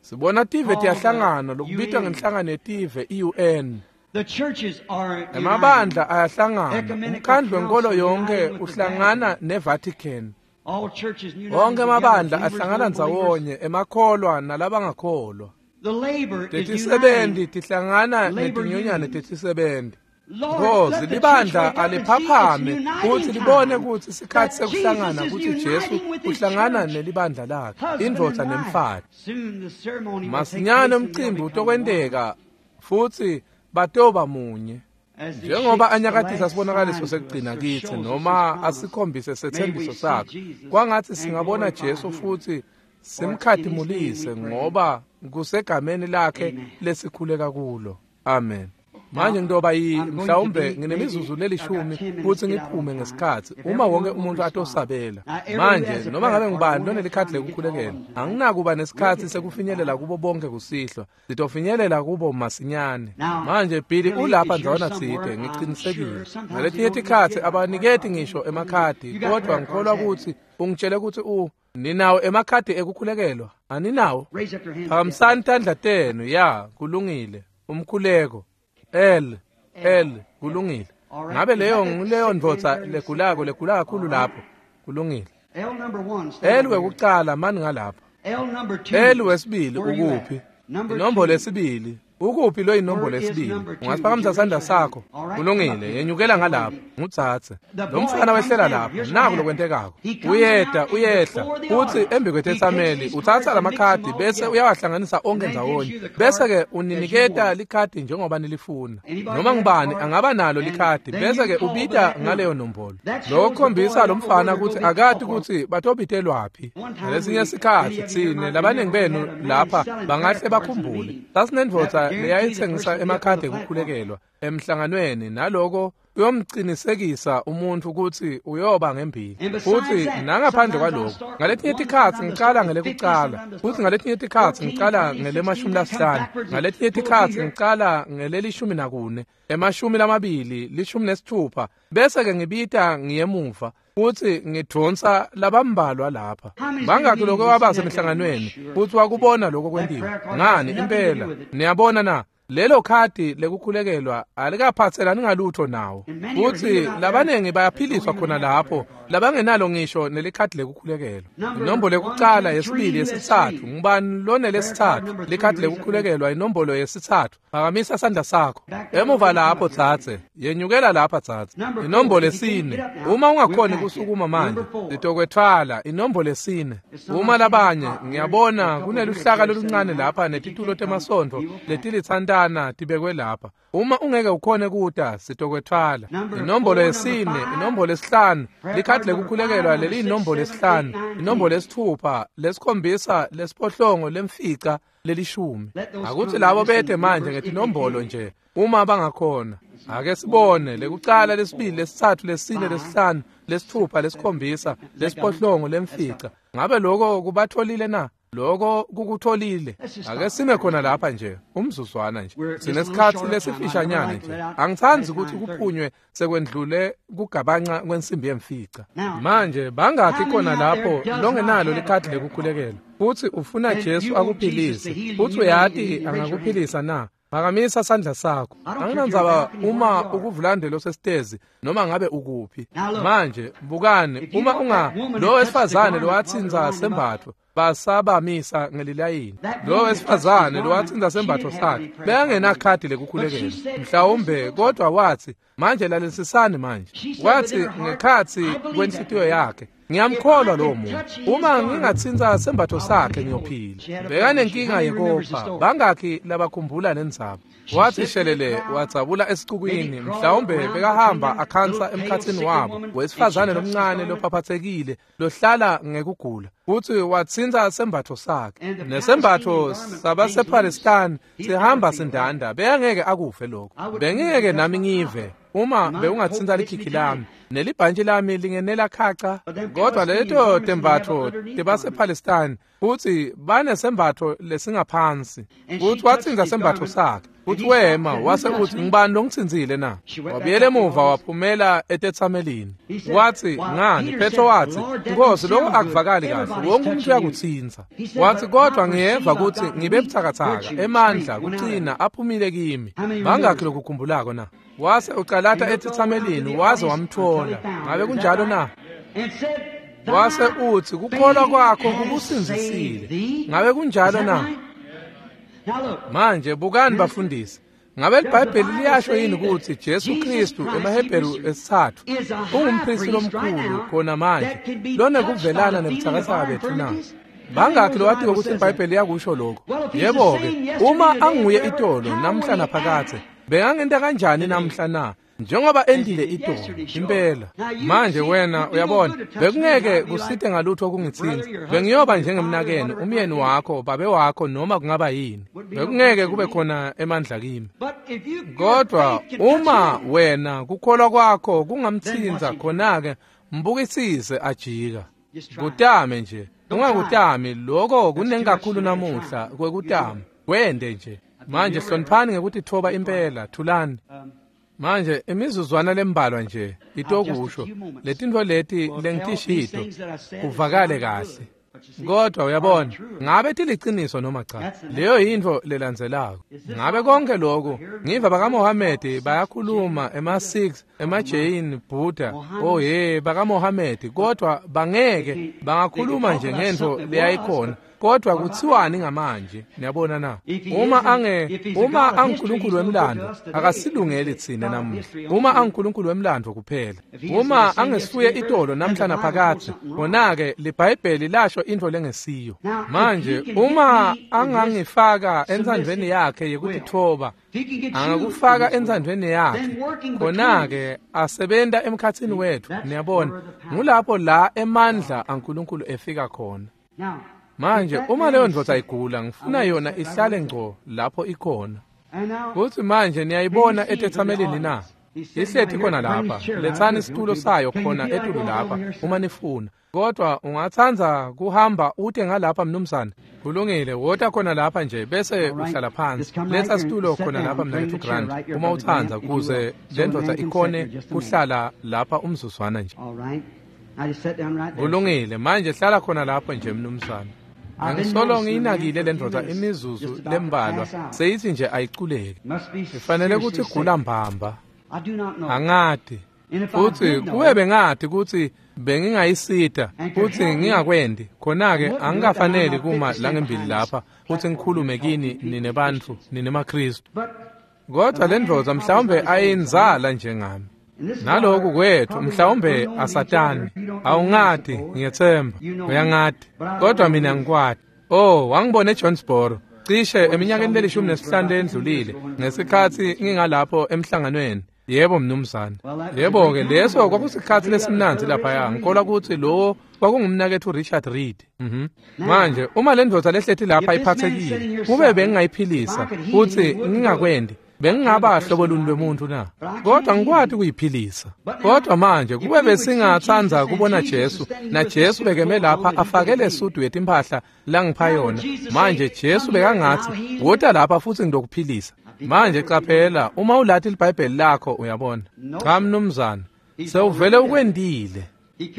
Sibona tive tiyahlangana lokubitwa ngenhlangano yetive I U N. The churches are Emabandla ayahlangana, umkhandlu wenkolo yonke uhlangana neVatican. All churches united. Wonke emabandla ahlangana ndzawonye, emakholwa nalabangakholwa. The labor is Tetisebenti uniting. tihlangana Labor netinyonyane unions. tetisebenti. Lord, Nkosi, let the church libandla wake up and see it's aliphaphame uniting kutsi libone time. kutsi sikhatsi That sekuhlangana Jesus is kutsi Jesu uniting with his uhlangana church. nelibandla lakhe, Husband indvodza and wife. nemfati. Soon the ceremony will take Masinyane place and they'll umcimbi become one. utokwenteka futhi batoba munye. As he Njengoba shakes the anyakatisa last sibonakaliso sign to us sekugcina or kitsi shows us noma his promise, asikhombise may we setsembiso see sakhe, Jesus kwangatsi and singabona glorify Jesu him. futhi simkhatimulise, ngoba kusegameni lakhe Amen. lesikhuleka kulo. Amen. Manje ngitoba yi mhlawumbe nginemizuzu lelishumi kutsi ngiphume ngesikhatsi uma wonke umuntu atosabela. Manje noma ngabe ngubani lonelikhadi lekukhulekela, anginakuba nesikhatsi sekufinyelela kubo bonke kusihlwa. Sitofinyelela kubo masinyane. Manje Billy ulapha ndzawana tsite, ngicinisekile. Ngaletinye tikhatsi abaniketi ngisho emakhadi, kodwa ngikholwa kutsi ungitshele kutsi u ninawo emakhadi ekukhulekelwa. Aninawo? Raise up your hands. Phakamisani tandla tenu. Ya, kulungile. Umkhuleko. L L kulungile. Ngabe leyo nguleyo ndvodza legulako legula kakhulu lapho? Kulungile. L number one. Stand L over here. wekucala mani ngalapha. L number two. L wesibili Where you at? ukuphi? Number Inombolo two. yesibili. Ukuphi lo inombolo Where is yesibili? number two? Ungasiphakamisa sandla sakho. All right, Kulungile, come up here. yenyukela ngalapha. Ngutsatse. The Lo boy mfana comes wehlela down. lapha. Here's what Naku happened. lokwentekako. He comes Uyeda, down and uyehla. before the Uthi altar, embi he takes kwetetsameli his uthatha cards and mix lamakhadi them all bese together. uyawahlanganisa onke And then gives ndzawonye. you the card Bese ke as you uniniketa want. likhadi njengoba nilifuna. Anybody Noma have a ngubani card? angaba nalo And likhadi then bese you ke call with ubita that ngaleyo number. nombolo. That shows Lokho the boy kukhombisa lo don't know mfana where kutsi to go akati call for. kutsi batobitelwaphi. One time Ngalesinye we- sikhatsi many of you tsine might labaningi remember we benu had a man lapha selling bangahle prayer cards in a bakhumbule. meeting. Sasinendvodza That leyayitsengisa emakhadi ekukhulekelwa emhlanganweni, naloko uyomcinisekisa umuntfu kutsi uyoba ngembili. Futsi nangaphandle kwaloko, ngaletinye tikhatsi ngicala ngelekucala, futsi ngaletinye tikhatsi ngicala ngelemashumi lasihlanu, ngaletinye tikhatsi ngicala ngelelishumi nakune, emashumi lamabili, lishumi nesithupha, bese-ke ngibita ngiyemuva futsi ngidvonsa labambalwa lapha. Bangakhi lokho wabasemhlanganweni futsi wakubona lokho kwentiwa? Ngani impela, niyabona na? Lelo khadi lekukhulekelwa alikaphatselani ngalutho nawo. Futsi labanengi bayaphiliswa khona lapho labangenalo ngisho nelikhadi lekukhulekelwa. Inombolo yekucala, yesibili, yesitsatfu. Ngubani lonelesitsatfu likhadi lekukhulekelwa? Inombolo yesitsatfu, phakamisa sandla sakho. Emuva lapho tsatse, yenyukela lapha tsatse. Inombolo yesine, uma ungakhoni kusukuma manje sitokwetfwala. Inombolo yesine. Uma labanye, ngiyabona kuneluhlaka loluncane lapha netitulo temasontfo letilitsantana tibekwe lapha. Uma ungeke ukhone kuta, sitokwetfwala. Inombolo yesine, inombolo yesihlanu, likhadi lekukhulekelwa leliyinombolo yesihlanu, inombolo yesithupha, lesikhombisa, lesiphohlongo, lemfica, lelishumi. Akuthi labo bete manje ngetinombolo nje uma bangakhona. Ake sibone lekucala, lesibili, lesitsatfu, lesine, lesihlanu, lesithupha, lesikhombisa, lesiphohlongo, lemfica. Ngabe lokho kubatholile na? Lokho kukutholile. Ake sime khona lapha nje umzuzwana nje, sinesikhatsi lesifishanyana nje. Angitsandzi ukuthi kuphunywe sekwendlule kugabanca kwensimbi yemfica. Manje bangakhi khona lapho longenalo likhadi lekukhulekelwa futsi ufuna Jesu akuphilise, futsi uyati angakuphilisa na? Phakamisa sandla sakho. Anginandzaba uma ukuvulandelo sesitezi noma ngabe ukuphi. Manje bukani, uma unga lo wesifazane lowatsinza sembatfo basabamisa ngelilayini, lo wesifazane lowatsinza sembatfo sakhe bekangenakhadi lekukhulekelwa mhlawumbe, kodwa wathi, manje lalelisisani manje, wathi ngekhatsi kwenhlitiyo yakhe, ngiyamkholwa lowo muntu, uma ngingatsinza sembatfo sakhe ngiyophila. Bekanenkinga yekopha. Bangakhi labakhumbula lendzaba? Wathi shelele wadzabula esicukwini, mhlawumbe bekahamba akhansa emkhatsini wabo, wesifazane lomncane lophaphathekile lohlala ngekugula, futsi watsinza sembatfo sakhe. Nesembatfo sabasePalestine sihamba sindanda, bekangeke akuve lokho. Bengingeke nami ngive uma bewungatsinza likhikhi lami nelibhantshi lami lingenela khaca. Kodwa leto tembatfo tebasePalestine, futsi banesembatfo lesingaphansi. Futsi watsinza sembatfo sakhe, futsi wema wase uthi, ngibani longitsinzile na? Wabuyela emuva waphumela etetsamelini. Wathi, ngani? Petro wathi, Nkosi, lokho akuvakali kahle, wonke umuntu uyakutsinza. Wathi, kodwa ngiyeva kutsi ngibe butsakatsaka, emandla kucina aphumile kimi. Bangakhi lokukhumbulako na? Wase ucalata etetsamelini waze wamthola. Ngabe kunjalo na? Wase uthi, kukholwa kwakho kukusindzisile. Ngabe kunjalo na? Manje bukani bafundisi, ngabe iBhayibheli liyasho yini ukuthi Jesu Kristu emaHebheru esithathu ungumpristi lomkhulu khona manje lonekuvelana nebutsakatsaka betfu na? Bangakhi lowatiwe ukuthi iBhayibheli liyakusho lokho? Yebo-ke, uma anguye itolo namhla naphakadze, bekangenta kanjani namhla na? Njengoba endile itolo impela. Manje wena uyabona, bekungeke kusite ngalutho kungitsinza. Bengiyoba njengemnakenu, umyeni wakho, babe wakho, noma kungaba yini. Bekungeke kube khona emandla kimi. Kodwa uma wena kukholwa kwakho kungamtsinza, khona-ke mbukisise ajika. Kutame nje, ungakutami. Lokho kunengi kakhulu namuhla kwekutama. Wende nje. Manje hloniphani ngekutitfoba impela, thulani. Manje imizuzwana lembalwa nje itokusho letintfo leti lengitishito kuvakale kahle. Kodwa uyabona, ngabe tiliciniso noma cha? Leyo yintfo lelandzelako. Ngabe konke lokhu ngiva bakaMohamedi bayakhuluma, ema-Sikhs, ema-Jain, Buddha, oh ye bakaMohamedi, kodwa bangeke bangakhuluma nje ngentfo leyayikhona. Kodwa kuthiwani ngamanje? Niyabona na? Uma ange uma anguNkulunkulu wemlando, akasilungeli tsine namuhla. Uma anguNkulunkulu wemlando kuphela, uma angesuye itolo namhla naphakadze, khona-ke liBhayibheli lasho intfo lengesiyo. Manje uma angangifaka entsandvweni yakhe yekutitfoba, angakufaka entsandvweni yakhe, khona-ke asebenta emkhatsini wetfu. Niyabona, ngulapho la emandla aNkulunkulu efika khona. Manje uma leyo ndvodza igula, ngifuna yona ihlale ngco lapho ikhona. Kutsi manje niyayibona etetsamelini na? Ihleti khona lapha, letsani situlo sayo khona etulu lapha uma nifuna. Kodwa ungatsandza kuhamba ute ngalapha mnumzane? Kulungile, wota khona lapha nje bese uhlala phansi. Letsa situlo khona lapha mnaketfu Grant uma utsandza kuze lendvodza ikhone kuhlala lapha umzuzwana nje. Kulungile, manje hlala khona lapho nje mnumzane. Angisolo ngiyinakile lendvodza imizuzu lembalwa seyithi nje ayiculeki. Ifanele ukuthi igula mbamba. Angati. Futhi kube bengathi kutsi bengingayisita futhi ngingakwendi khona-ke angikafaneli kuma langembili lapha futhi ngikhulume kini nine bantfu nine maKristu. Kodwa le ndvodza mhlawumbe ayinzala njengami. Naloku kwethu mhlawumbe asatani. Awungati, ngiyethemba uyangati, kodwa mina ngikwati. Oh, wangibona eJohnsboro cishe eminyakeni lelishumi nesihlanu lendlulile ngesikhatsi ngingalapho emhlanganweni. Yebo mnumzane. Yebo-ke leso kwakusikhatsi lesimnandzi laphaya. Ngikholwa kutsi lowo kwakungumnaketfu Richard Reed. Mhm. Manje uma le ndvodza lehleti lapha iphathekile, kube bengingayiphilisa futsi ngingakwendi, bengingaba hlobo luni lwemuntu na? Kodwa ngikwati kuyiphilisa. Kodwa manje kube besingatsandza kubona Jesu, na Jesu bekeme lapha afake lesudu yetimphahla langipha yona. Manje Jesu bekangatsi, "Wota lapha futsi ngidokuphilisa." Manje qaphela, uma ulati liBhayibheli lakho uyabona. Cha mnumzane, sewuvele ukwendile.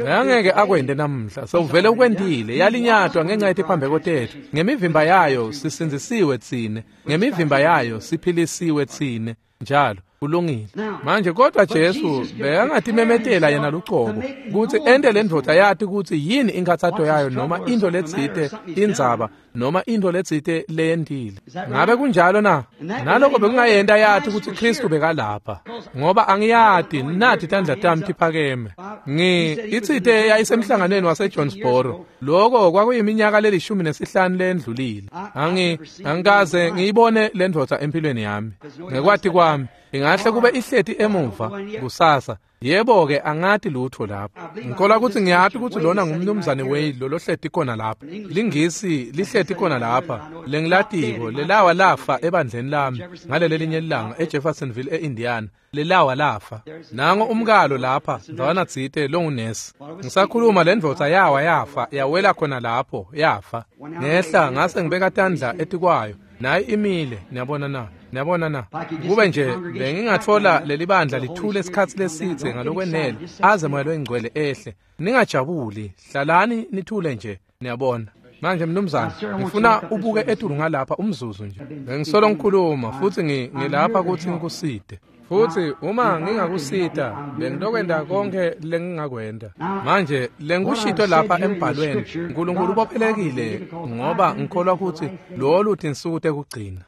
Angeke akwende namhla, sewuvele ukwendile. Yalinyatwa ngenxa yetiphambeko tethu. Ngemivimba yayo sisindzisiwe tsine, ngemivimba yayo siphilisiwe tsine. Njalo kulungile. Manje kodwa Jesu bekangatimemetela yena lucobo kutsi ente le ndvodza yati kutsi yini inkhatsato yayo noma into letsite indzaba noma into letsite leyentile. Ngabe kunjalo na? Naloko bekungayenta yati kutsi Kristu bekalapha, ngoba angiyati nathi tandla tami tiphakeme. Ngi itsite yayisemhlanganweni waseJohnsboro. Loko kwakuyiminyaka lelishumi nesihlanu lendlulile. Angi angikaze ngiyibone le ndvodza empilweni yami. Ngekwati kwami ingahle kube ihleti emuva kusasa. Yebo-ke angati lutho lapho. Ngikholwa kutsi ngiyati kutsi lona ngumnumzane Wade lo lohleti khona lapha. Lingisi lihleti khona lapha. Lengilatiko lelawa lafa ebandleni lami ngaleli linye ilanga eJeffersonville eIndiana. Lelawa lafa. Nango umkalo lapha ndzawana tsite longunesi. Ngisakhuluma le ndvodza yawa yafa yawela khona lapho yafa. Ngehla ngase ngibeka tandla etikwayo. Nayi imile, niyabona na? Niyabona na? Kube nje bengingatfola leli bandla lithule isikhatsi lesitse ngalokwenele aze moya loyingcwele ehle. Ningajabuli, hlalani nithule nje, niyabona. Manje mnumzane, ngifuna ubuke etulu ngalapha umzuzu nje. Bengisolo ngikhuluma futhi ngilapha kutsi ngikusite. Futhi uma ngingakusita, bengilokwenta konke lengingakwenta. Manje lengikushito lapha embhalweni, uNkulunkulu ubophelekile ngoba ngikholwa kutsi lolu tinsuku tekugcina.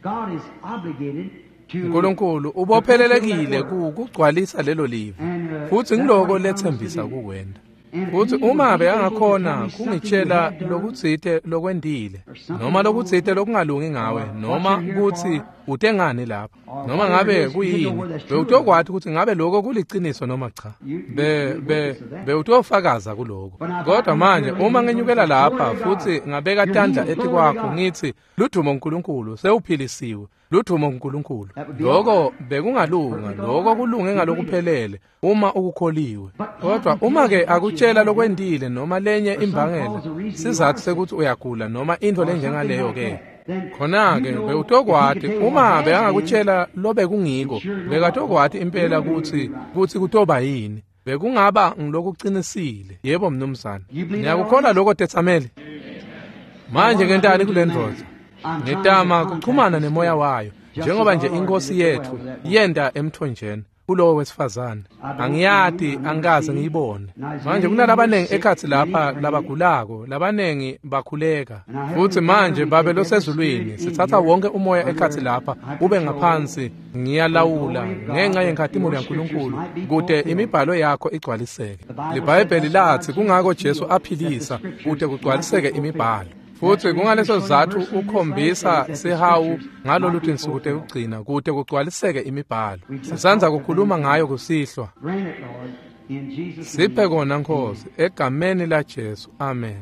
uNkulunkulu ubophelelekile kugcwalisa lelo livi, futhi ngiloko letsembisa kukwenta. Futhi uma bekangakhona kungitshela lokutsite lokwendile noma lokutsite lokungalungi ngawe noma kutsi ute ngani lapha noma ngabe kuyini, bewutokwati kutsi ngabe lokho kuliciniso noma cha. Be be bewutofakaza kuloko. Kodwa manje uma ngenyukela lapha futhi ngabeka tandla etikwakho ngithi ludumo uNkulunkulu, sewuphilisiwe, ludumo uNkulunkulu, lokho bekungalunga, lokho kulunge ngalokuphelele uma ukukholiwe. Kodwa uma ke akutshela lokwendile noma lenye imbangela sizathu sekuthi uyagula noma into lenjengaleyo ke, khona-ke bewutokwati uma bekangakutshela lobekungiko, bekatokwati impela kutsi kutsi kutoba yini. Bekungaba ngilokuqinisile. Yebo mnumzane, niyakukholwa lokho tetsameli? Manje ngentani kule ndvodza? Ngitama kuchumana nemoya wayo njengoba nje inkosi yethu yenda emthonjeni kulowo wesifazane. Angiyati, angikaze ngiyibone. Manje kunalabanengi ekhatsi lapha labagulako, labanengi bakhuleka. Futhi manje Babe losezulwini, sithatha wonke umoya ekhatsi lapha ube ngaphansi. Ngiyalawula ngenxa yenkhatimulo yaNkulunkulu kute imibhalo yakho igcwaliseke. LiBhayibheli lathi kungako Jesu aphilisa kute kugcwaliseke imibhalo. Futhi kungaleso sizathu ukhombisa sihawu ngalolu tinsuku tekugcina kute kugcwaliseke imibhalo. Sisandza kukhuluma ngayo kusihlwa. Siphe kona Nkosi, egameni la Jesu, amen.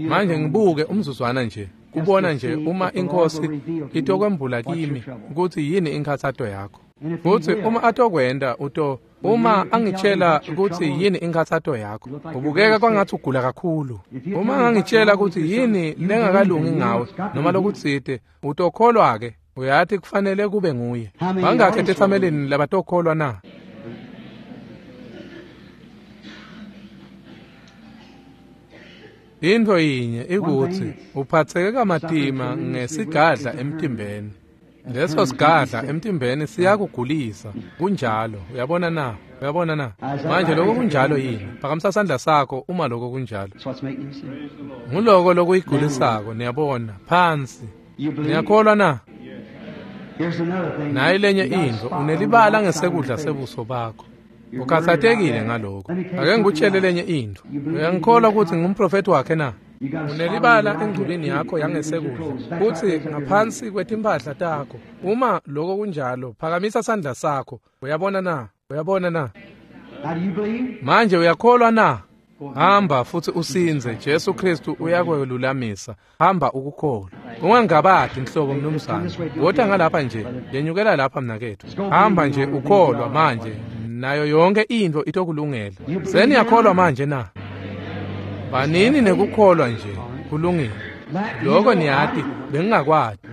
Manje ngibuke umzuzwana nje. Kubona nje uma iNkosi itokwembula kimi kutsi yini inkhatsato yakho. Futsi uma atokwenta uto uma angitshela kutsi yini inkhatsato yakho, ubukeka kwangathi ugula kakhulu. Uma angangitshela kutsi yini lengakalungi ngawe noma lokutsite, utokholwa ke. Uyati kufanele kube nguye. Bangakhi etetsamelini labatokholwa na? Intfo yinye ikutsi uphatseke kamatima ngesigadla emtimbeni. Leso sigadla emtimbeni siyakugulisa. Kunjalo, uyabona na? Uyabona na? Manje lokho kunjalo yini? Phakamisa sandla sakho uma lokho kunjalo. Nguloko lokuyigulisako, niyabona, phansi. Niyakholwa na? Nayi lenye intfo, unelibala ngesekudla sebuso bakho. Ukhatsatekile ngalokho. Ake ngikutshele lenye intfo. Uyangikholwa ukuthi ngumprofeti wakhe na? Unelibala engculini yakho yangesekudla, futsi ngaphansi kwetimpahla takho. Uma lokho kunjalo, phakamisa sandla sakho. Uyabona na? Uyabona na? Manje uyakholwa na? Hamba futsi usindze. Jesu Kristu uyakwelulamisa. Hamba ukukholwa. Ungangabadi nhlobo mnumzane. Wota ngalapha nje, yenyukela lapha mnaketfu. Hamba nje ukholwa manje, nayo yonke intfo itokulungela. Seniyakholwa manje na? Banini nekukholwa nje, kulungile. Lokho niyati, bengingakwati.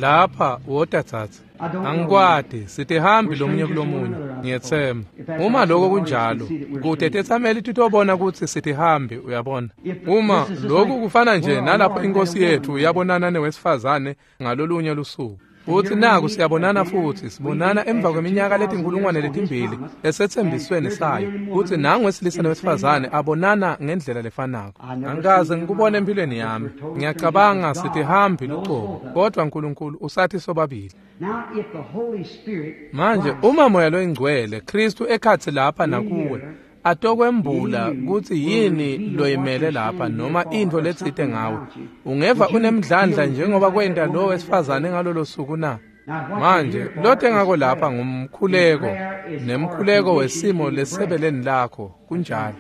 Lapha wota tsatsa. Angikwati, sitihambi lomunye kulomunye, ngiyetsemba. Uma lokho kunjalo, kude tetsameli titobona kutsi sitihambi, uyabona. Uma lokhu kufana nje nalapho iNkosi yethu yabonana newesifazane ngalolunye lusuku. Futsi naku siyabonana futsi, sibonana emva kweminyaka letinkulungwane letimbili esetsembisweni sayo. Futsi nangu wesilisa newesifazane abonana ngendlela lefanako. Angikaze ngikubone empilweni yami. Ngiyacabanga sitihambi lucobo, kodwa Nkulunkulu usathi sobabili. Manje uma Moya loyiNgcwele Kristu ekhatsi lapha nakuwe atokwembula kutsi yini loyimele lapha noma intfo letsite ngawe, ungeva unemdlandla njengoba kwenta lo wesifazane ngalolo suku na? Manje lote ngako lapha ngumkhuleko, nemkhuleko wesimo lesebeleni lakho. Kunjalo.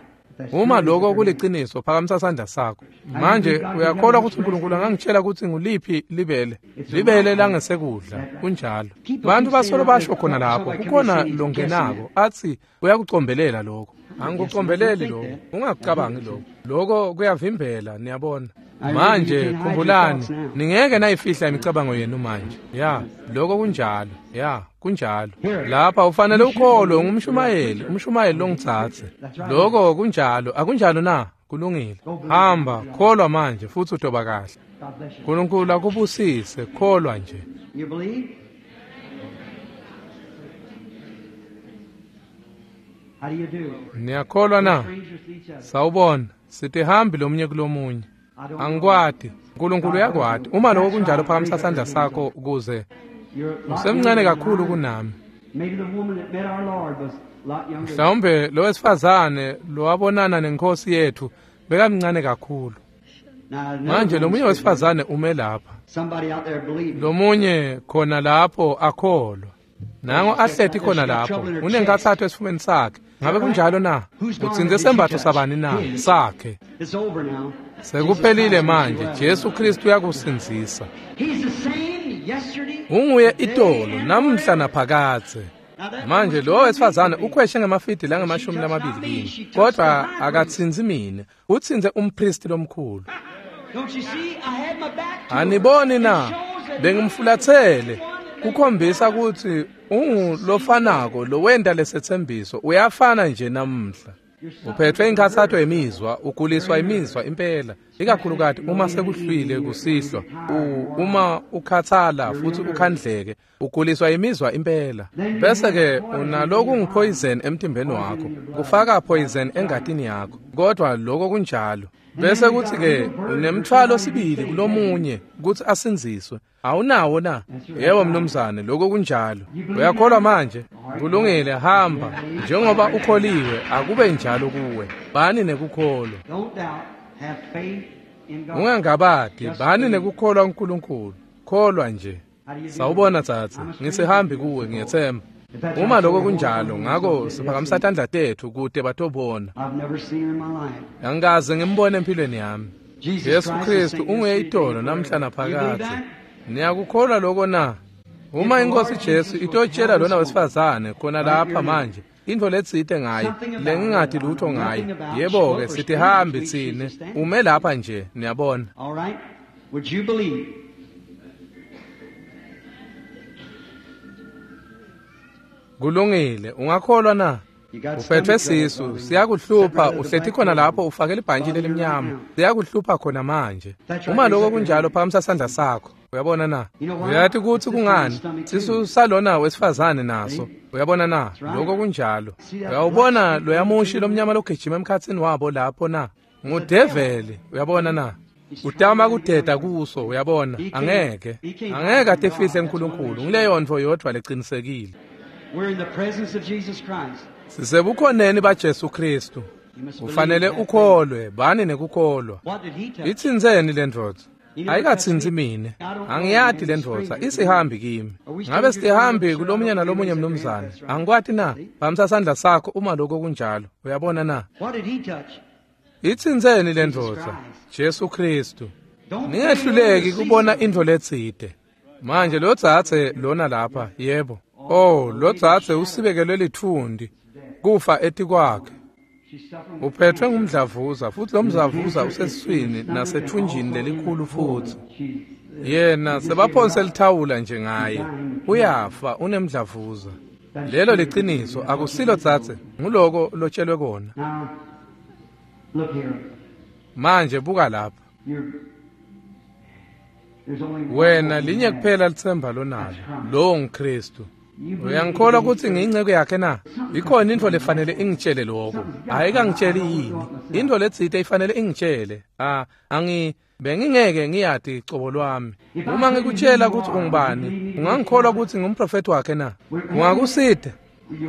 Uma lokho kuliciniso, phakamisa sandla sakho. Manje uyakholwa kutsi Nkulunkulu angangitshela kutsi nguliphi libele? Libele langesekudla. Kunjalo. Bantu basolo basho khona lapho, kukhona longenako atsi uyakucombelela lokho. Angikucombeleli lokho, ungakucabangi lokho. Lokho kuyavimbela, niyabona. Manje khumbulani, ningeke nayifihla imicabango yenu manje. Ya, lokho kunjalo. Ya, kunjalo. Lapha ufanele ukholwe ngumshumayeli, umshumayeli longitsatse. Lokho kunjalo, akunjalo na? Kulungile. Hamba, kholwa manje futsi utoba kahle. Nkulunkulu akubusise, kholwa nje. Niyakholwa na? Sawubona, sitihambi lomunye kulomunye. Angikwati, Nkulunkulu uyakwati. Uma lokho kunjalo, phakamisa sandla sakho ukuze. Usemncane kakhulu kunami. Mhlawumbe lo wesifazane lowabonana nenkosi yethu bekamncane kakhulu. Manje lomunye wesifazane ume lapha, lomunye khona lapho akholwa. Nango ahleti khona lapho, unenkathatho esifubeni sakhe. Ngabe kunjalo na? Utsintse sembatho sabani na? Sakhe. Sekuphelile manje. Jesu Kristu uyakusindzisa. Unguye itolo, namuhla naphakadze. Manje lo wesifazane ukhweshe ngemafidi langemashumi lamabili kimi, kodwa akatsintsi mine, utsintse umpristi lomkhulu. Aniboni na? Bengimfulathele. Kukhombisa kutsi ungulofanako lowenta lesetsembiso, uyafana nje namuhla. Uphethwe inkhatsato yemizwa, uguliswa imizwa impela, ikakhulukati uma sekuhlwile kusihlwa, uma ukhathala futhi ukhandleke, uguliswa imizwa impela. Bese ke unaloku ngipoison emtimbeni wakho, kufaka poison engatini yakho, kodwa lokho kunjalo. Bese kuthi ke unemthwalo sibili kulomunye ukuthi asinziswe. Awunawo na? Yebo mnumzane, lokho kunjalo. Uyakholwa manje? Kulungile, hamba. Njengoba ukholiwe, akube njalo kuwe. Bani nekukholwa. Ungangabadi, bani nekukholwa uNkulunkulu. Kholwa nje. Sawubona tsatsi, ngisihambi kuwe, ngiyethemba. Uma lokho kunjalo, ngakho siphakamisa tandla tethu kute batobona. Angikaze ngimbone empilweni yami. Jesu Kristu ungeyitolo namhla naphakadze. Niyakukholwa lokho na? Uma inkosi Jesu itotshela lona wesifazane khona lapha manje intfo letsite ngaye lengingati lutho ngaye, yebo-ke sitihambi tsine, ume lapha nje, niyabona. All right. Would you believe? Kulungile, ungakholwa na? Uphethwe sisu, siyakuhlupha, uhleti khona lapho ufake libhantshi lelimnyama, siyakuhlupha khona manje. Uma lokho kunjalo phakamisa sandla sakho. Uyabona na? Uyathi kutsi kungani? Sisu salona wesifazane naso. Uyabona na? Lokho kunjalo. Uyawubona loyamushi lomnyama logijima emkhatsini wabo lapho na? Ngudeveli, uyabona na? Utama kudeda kuso, uyabona? Angeke. Angeke atifihle uNkulunkulu. Ngileyo ntfo yodvwa lecinisekile. We're in the presence of Jesus Christ. Sisebukhoneni baJesu Kristu. Ufanele ukholwe, bani nekukholwa. What did he touch? Itsintseni le ndvodza? Ayikatsintsi mine. Angiyati le ndvodza, isihambi kimi. Ngabe sihambi kulomunye nalomunye mnumzane. Angikwati na? Phamisa sandla sakho uma lokho kunjalo. Uyabona na? What did he touch? Itsintseni le ndvodza? Jesu Kristu. Don't Ningehluleki kubona intfo letsite. Manje lo dzadze lona lapha, yebo. Oh, lo dzadze usibekelwe lithundi kufa etikwakhe. She's suffering. Uphethwe ngumdlavuza futhi lo mdlavuza usesiswini nasethunjini lelikhulu futhi. She's Yena sebaphonse lithawula nje ngaye. Uyafa unemdlavuza. Lelo liciniso akusilo dzadze, nguloko lotshelwe kona. now. Look here. Manje buka lapha. You're, there's only one Wena hope linye you have. kuphela litsemba lonalo. Lowo nguKristu. Uyangikholwa ukuthi ngiyinceku yakhe na? Ikhona intfo lefanele ingitshele lokho. Ayikangitsheli yini? Intfo letsite ifanele ingitshele. Ah, angi bengingeke ngiyati cobo lwami. Uma ngikutshela ukuthi ungubani, ungangikholwa ukuthi ngumprofeti wakhe na? Ungakusida?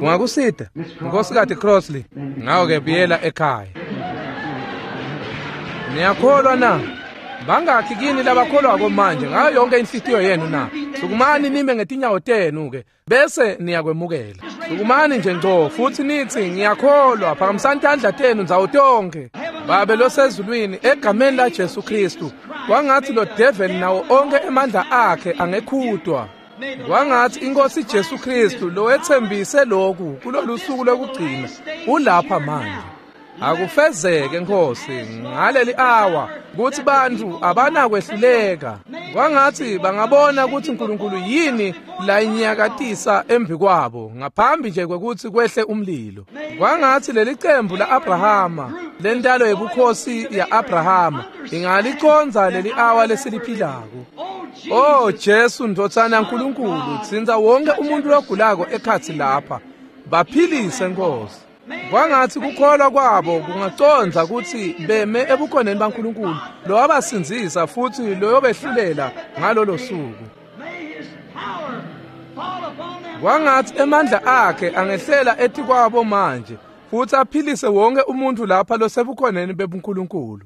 Ungakusida? Nkosikazi Crossley, ngawo-ke buyela ekhaya. Niyakholwa na? Bangakhi kini labakholwako manje ngayo yonke inhlitiyo yenu na? Sukumani nime ngetinyawo tenu ke bese niyakwemukela. Sukumani nje ngco futhi nithi ngiyakholwa, phakamisani tandla tenu ndzawo tonke. Babe losezulwini, egameni la Jesu Kristu, kwangathi lo devil nawo onke emandla akhe angekhutwa. Kwangathi inkosi Jesu Kristu lowethembise lokhu kulolu suku lokugcina ulapha manje. Akufezeke Nkosi ngaleli awa kuthi bantu abanakwehluleka. Kwangathi bangabona ukuthi uNkulunkulu yini la inyakatisa embi kwabo ngaphambi nje kwekuthi kwehle umlilo. Kwangathi leli cembu la-Abrahama, lentalo yebukhosi ya-Abrahama, ingaliconza leli awa lesiliphilako. Oh Jesu ndvodzana yaNkulunkulu, tsintsa wonke umuntu logulako ekhatsi lapha. Baphilise Nkosi. Kwangathi kukholwa kwabo kungaconza ukuthi beme ebukhoneni baNkulunkulu lowabasindzisa futhi loyobehlulela ngalolo suku. May his power fall upon them. Kwangathi emandla akhe angehlela etikwabo manje futhi aphilise wonke umuntu lapha losebukhoneni bebuNkulunkulu.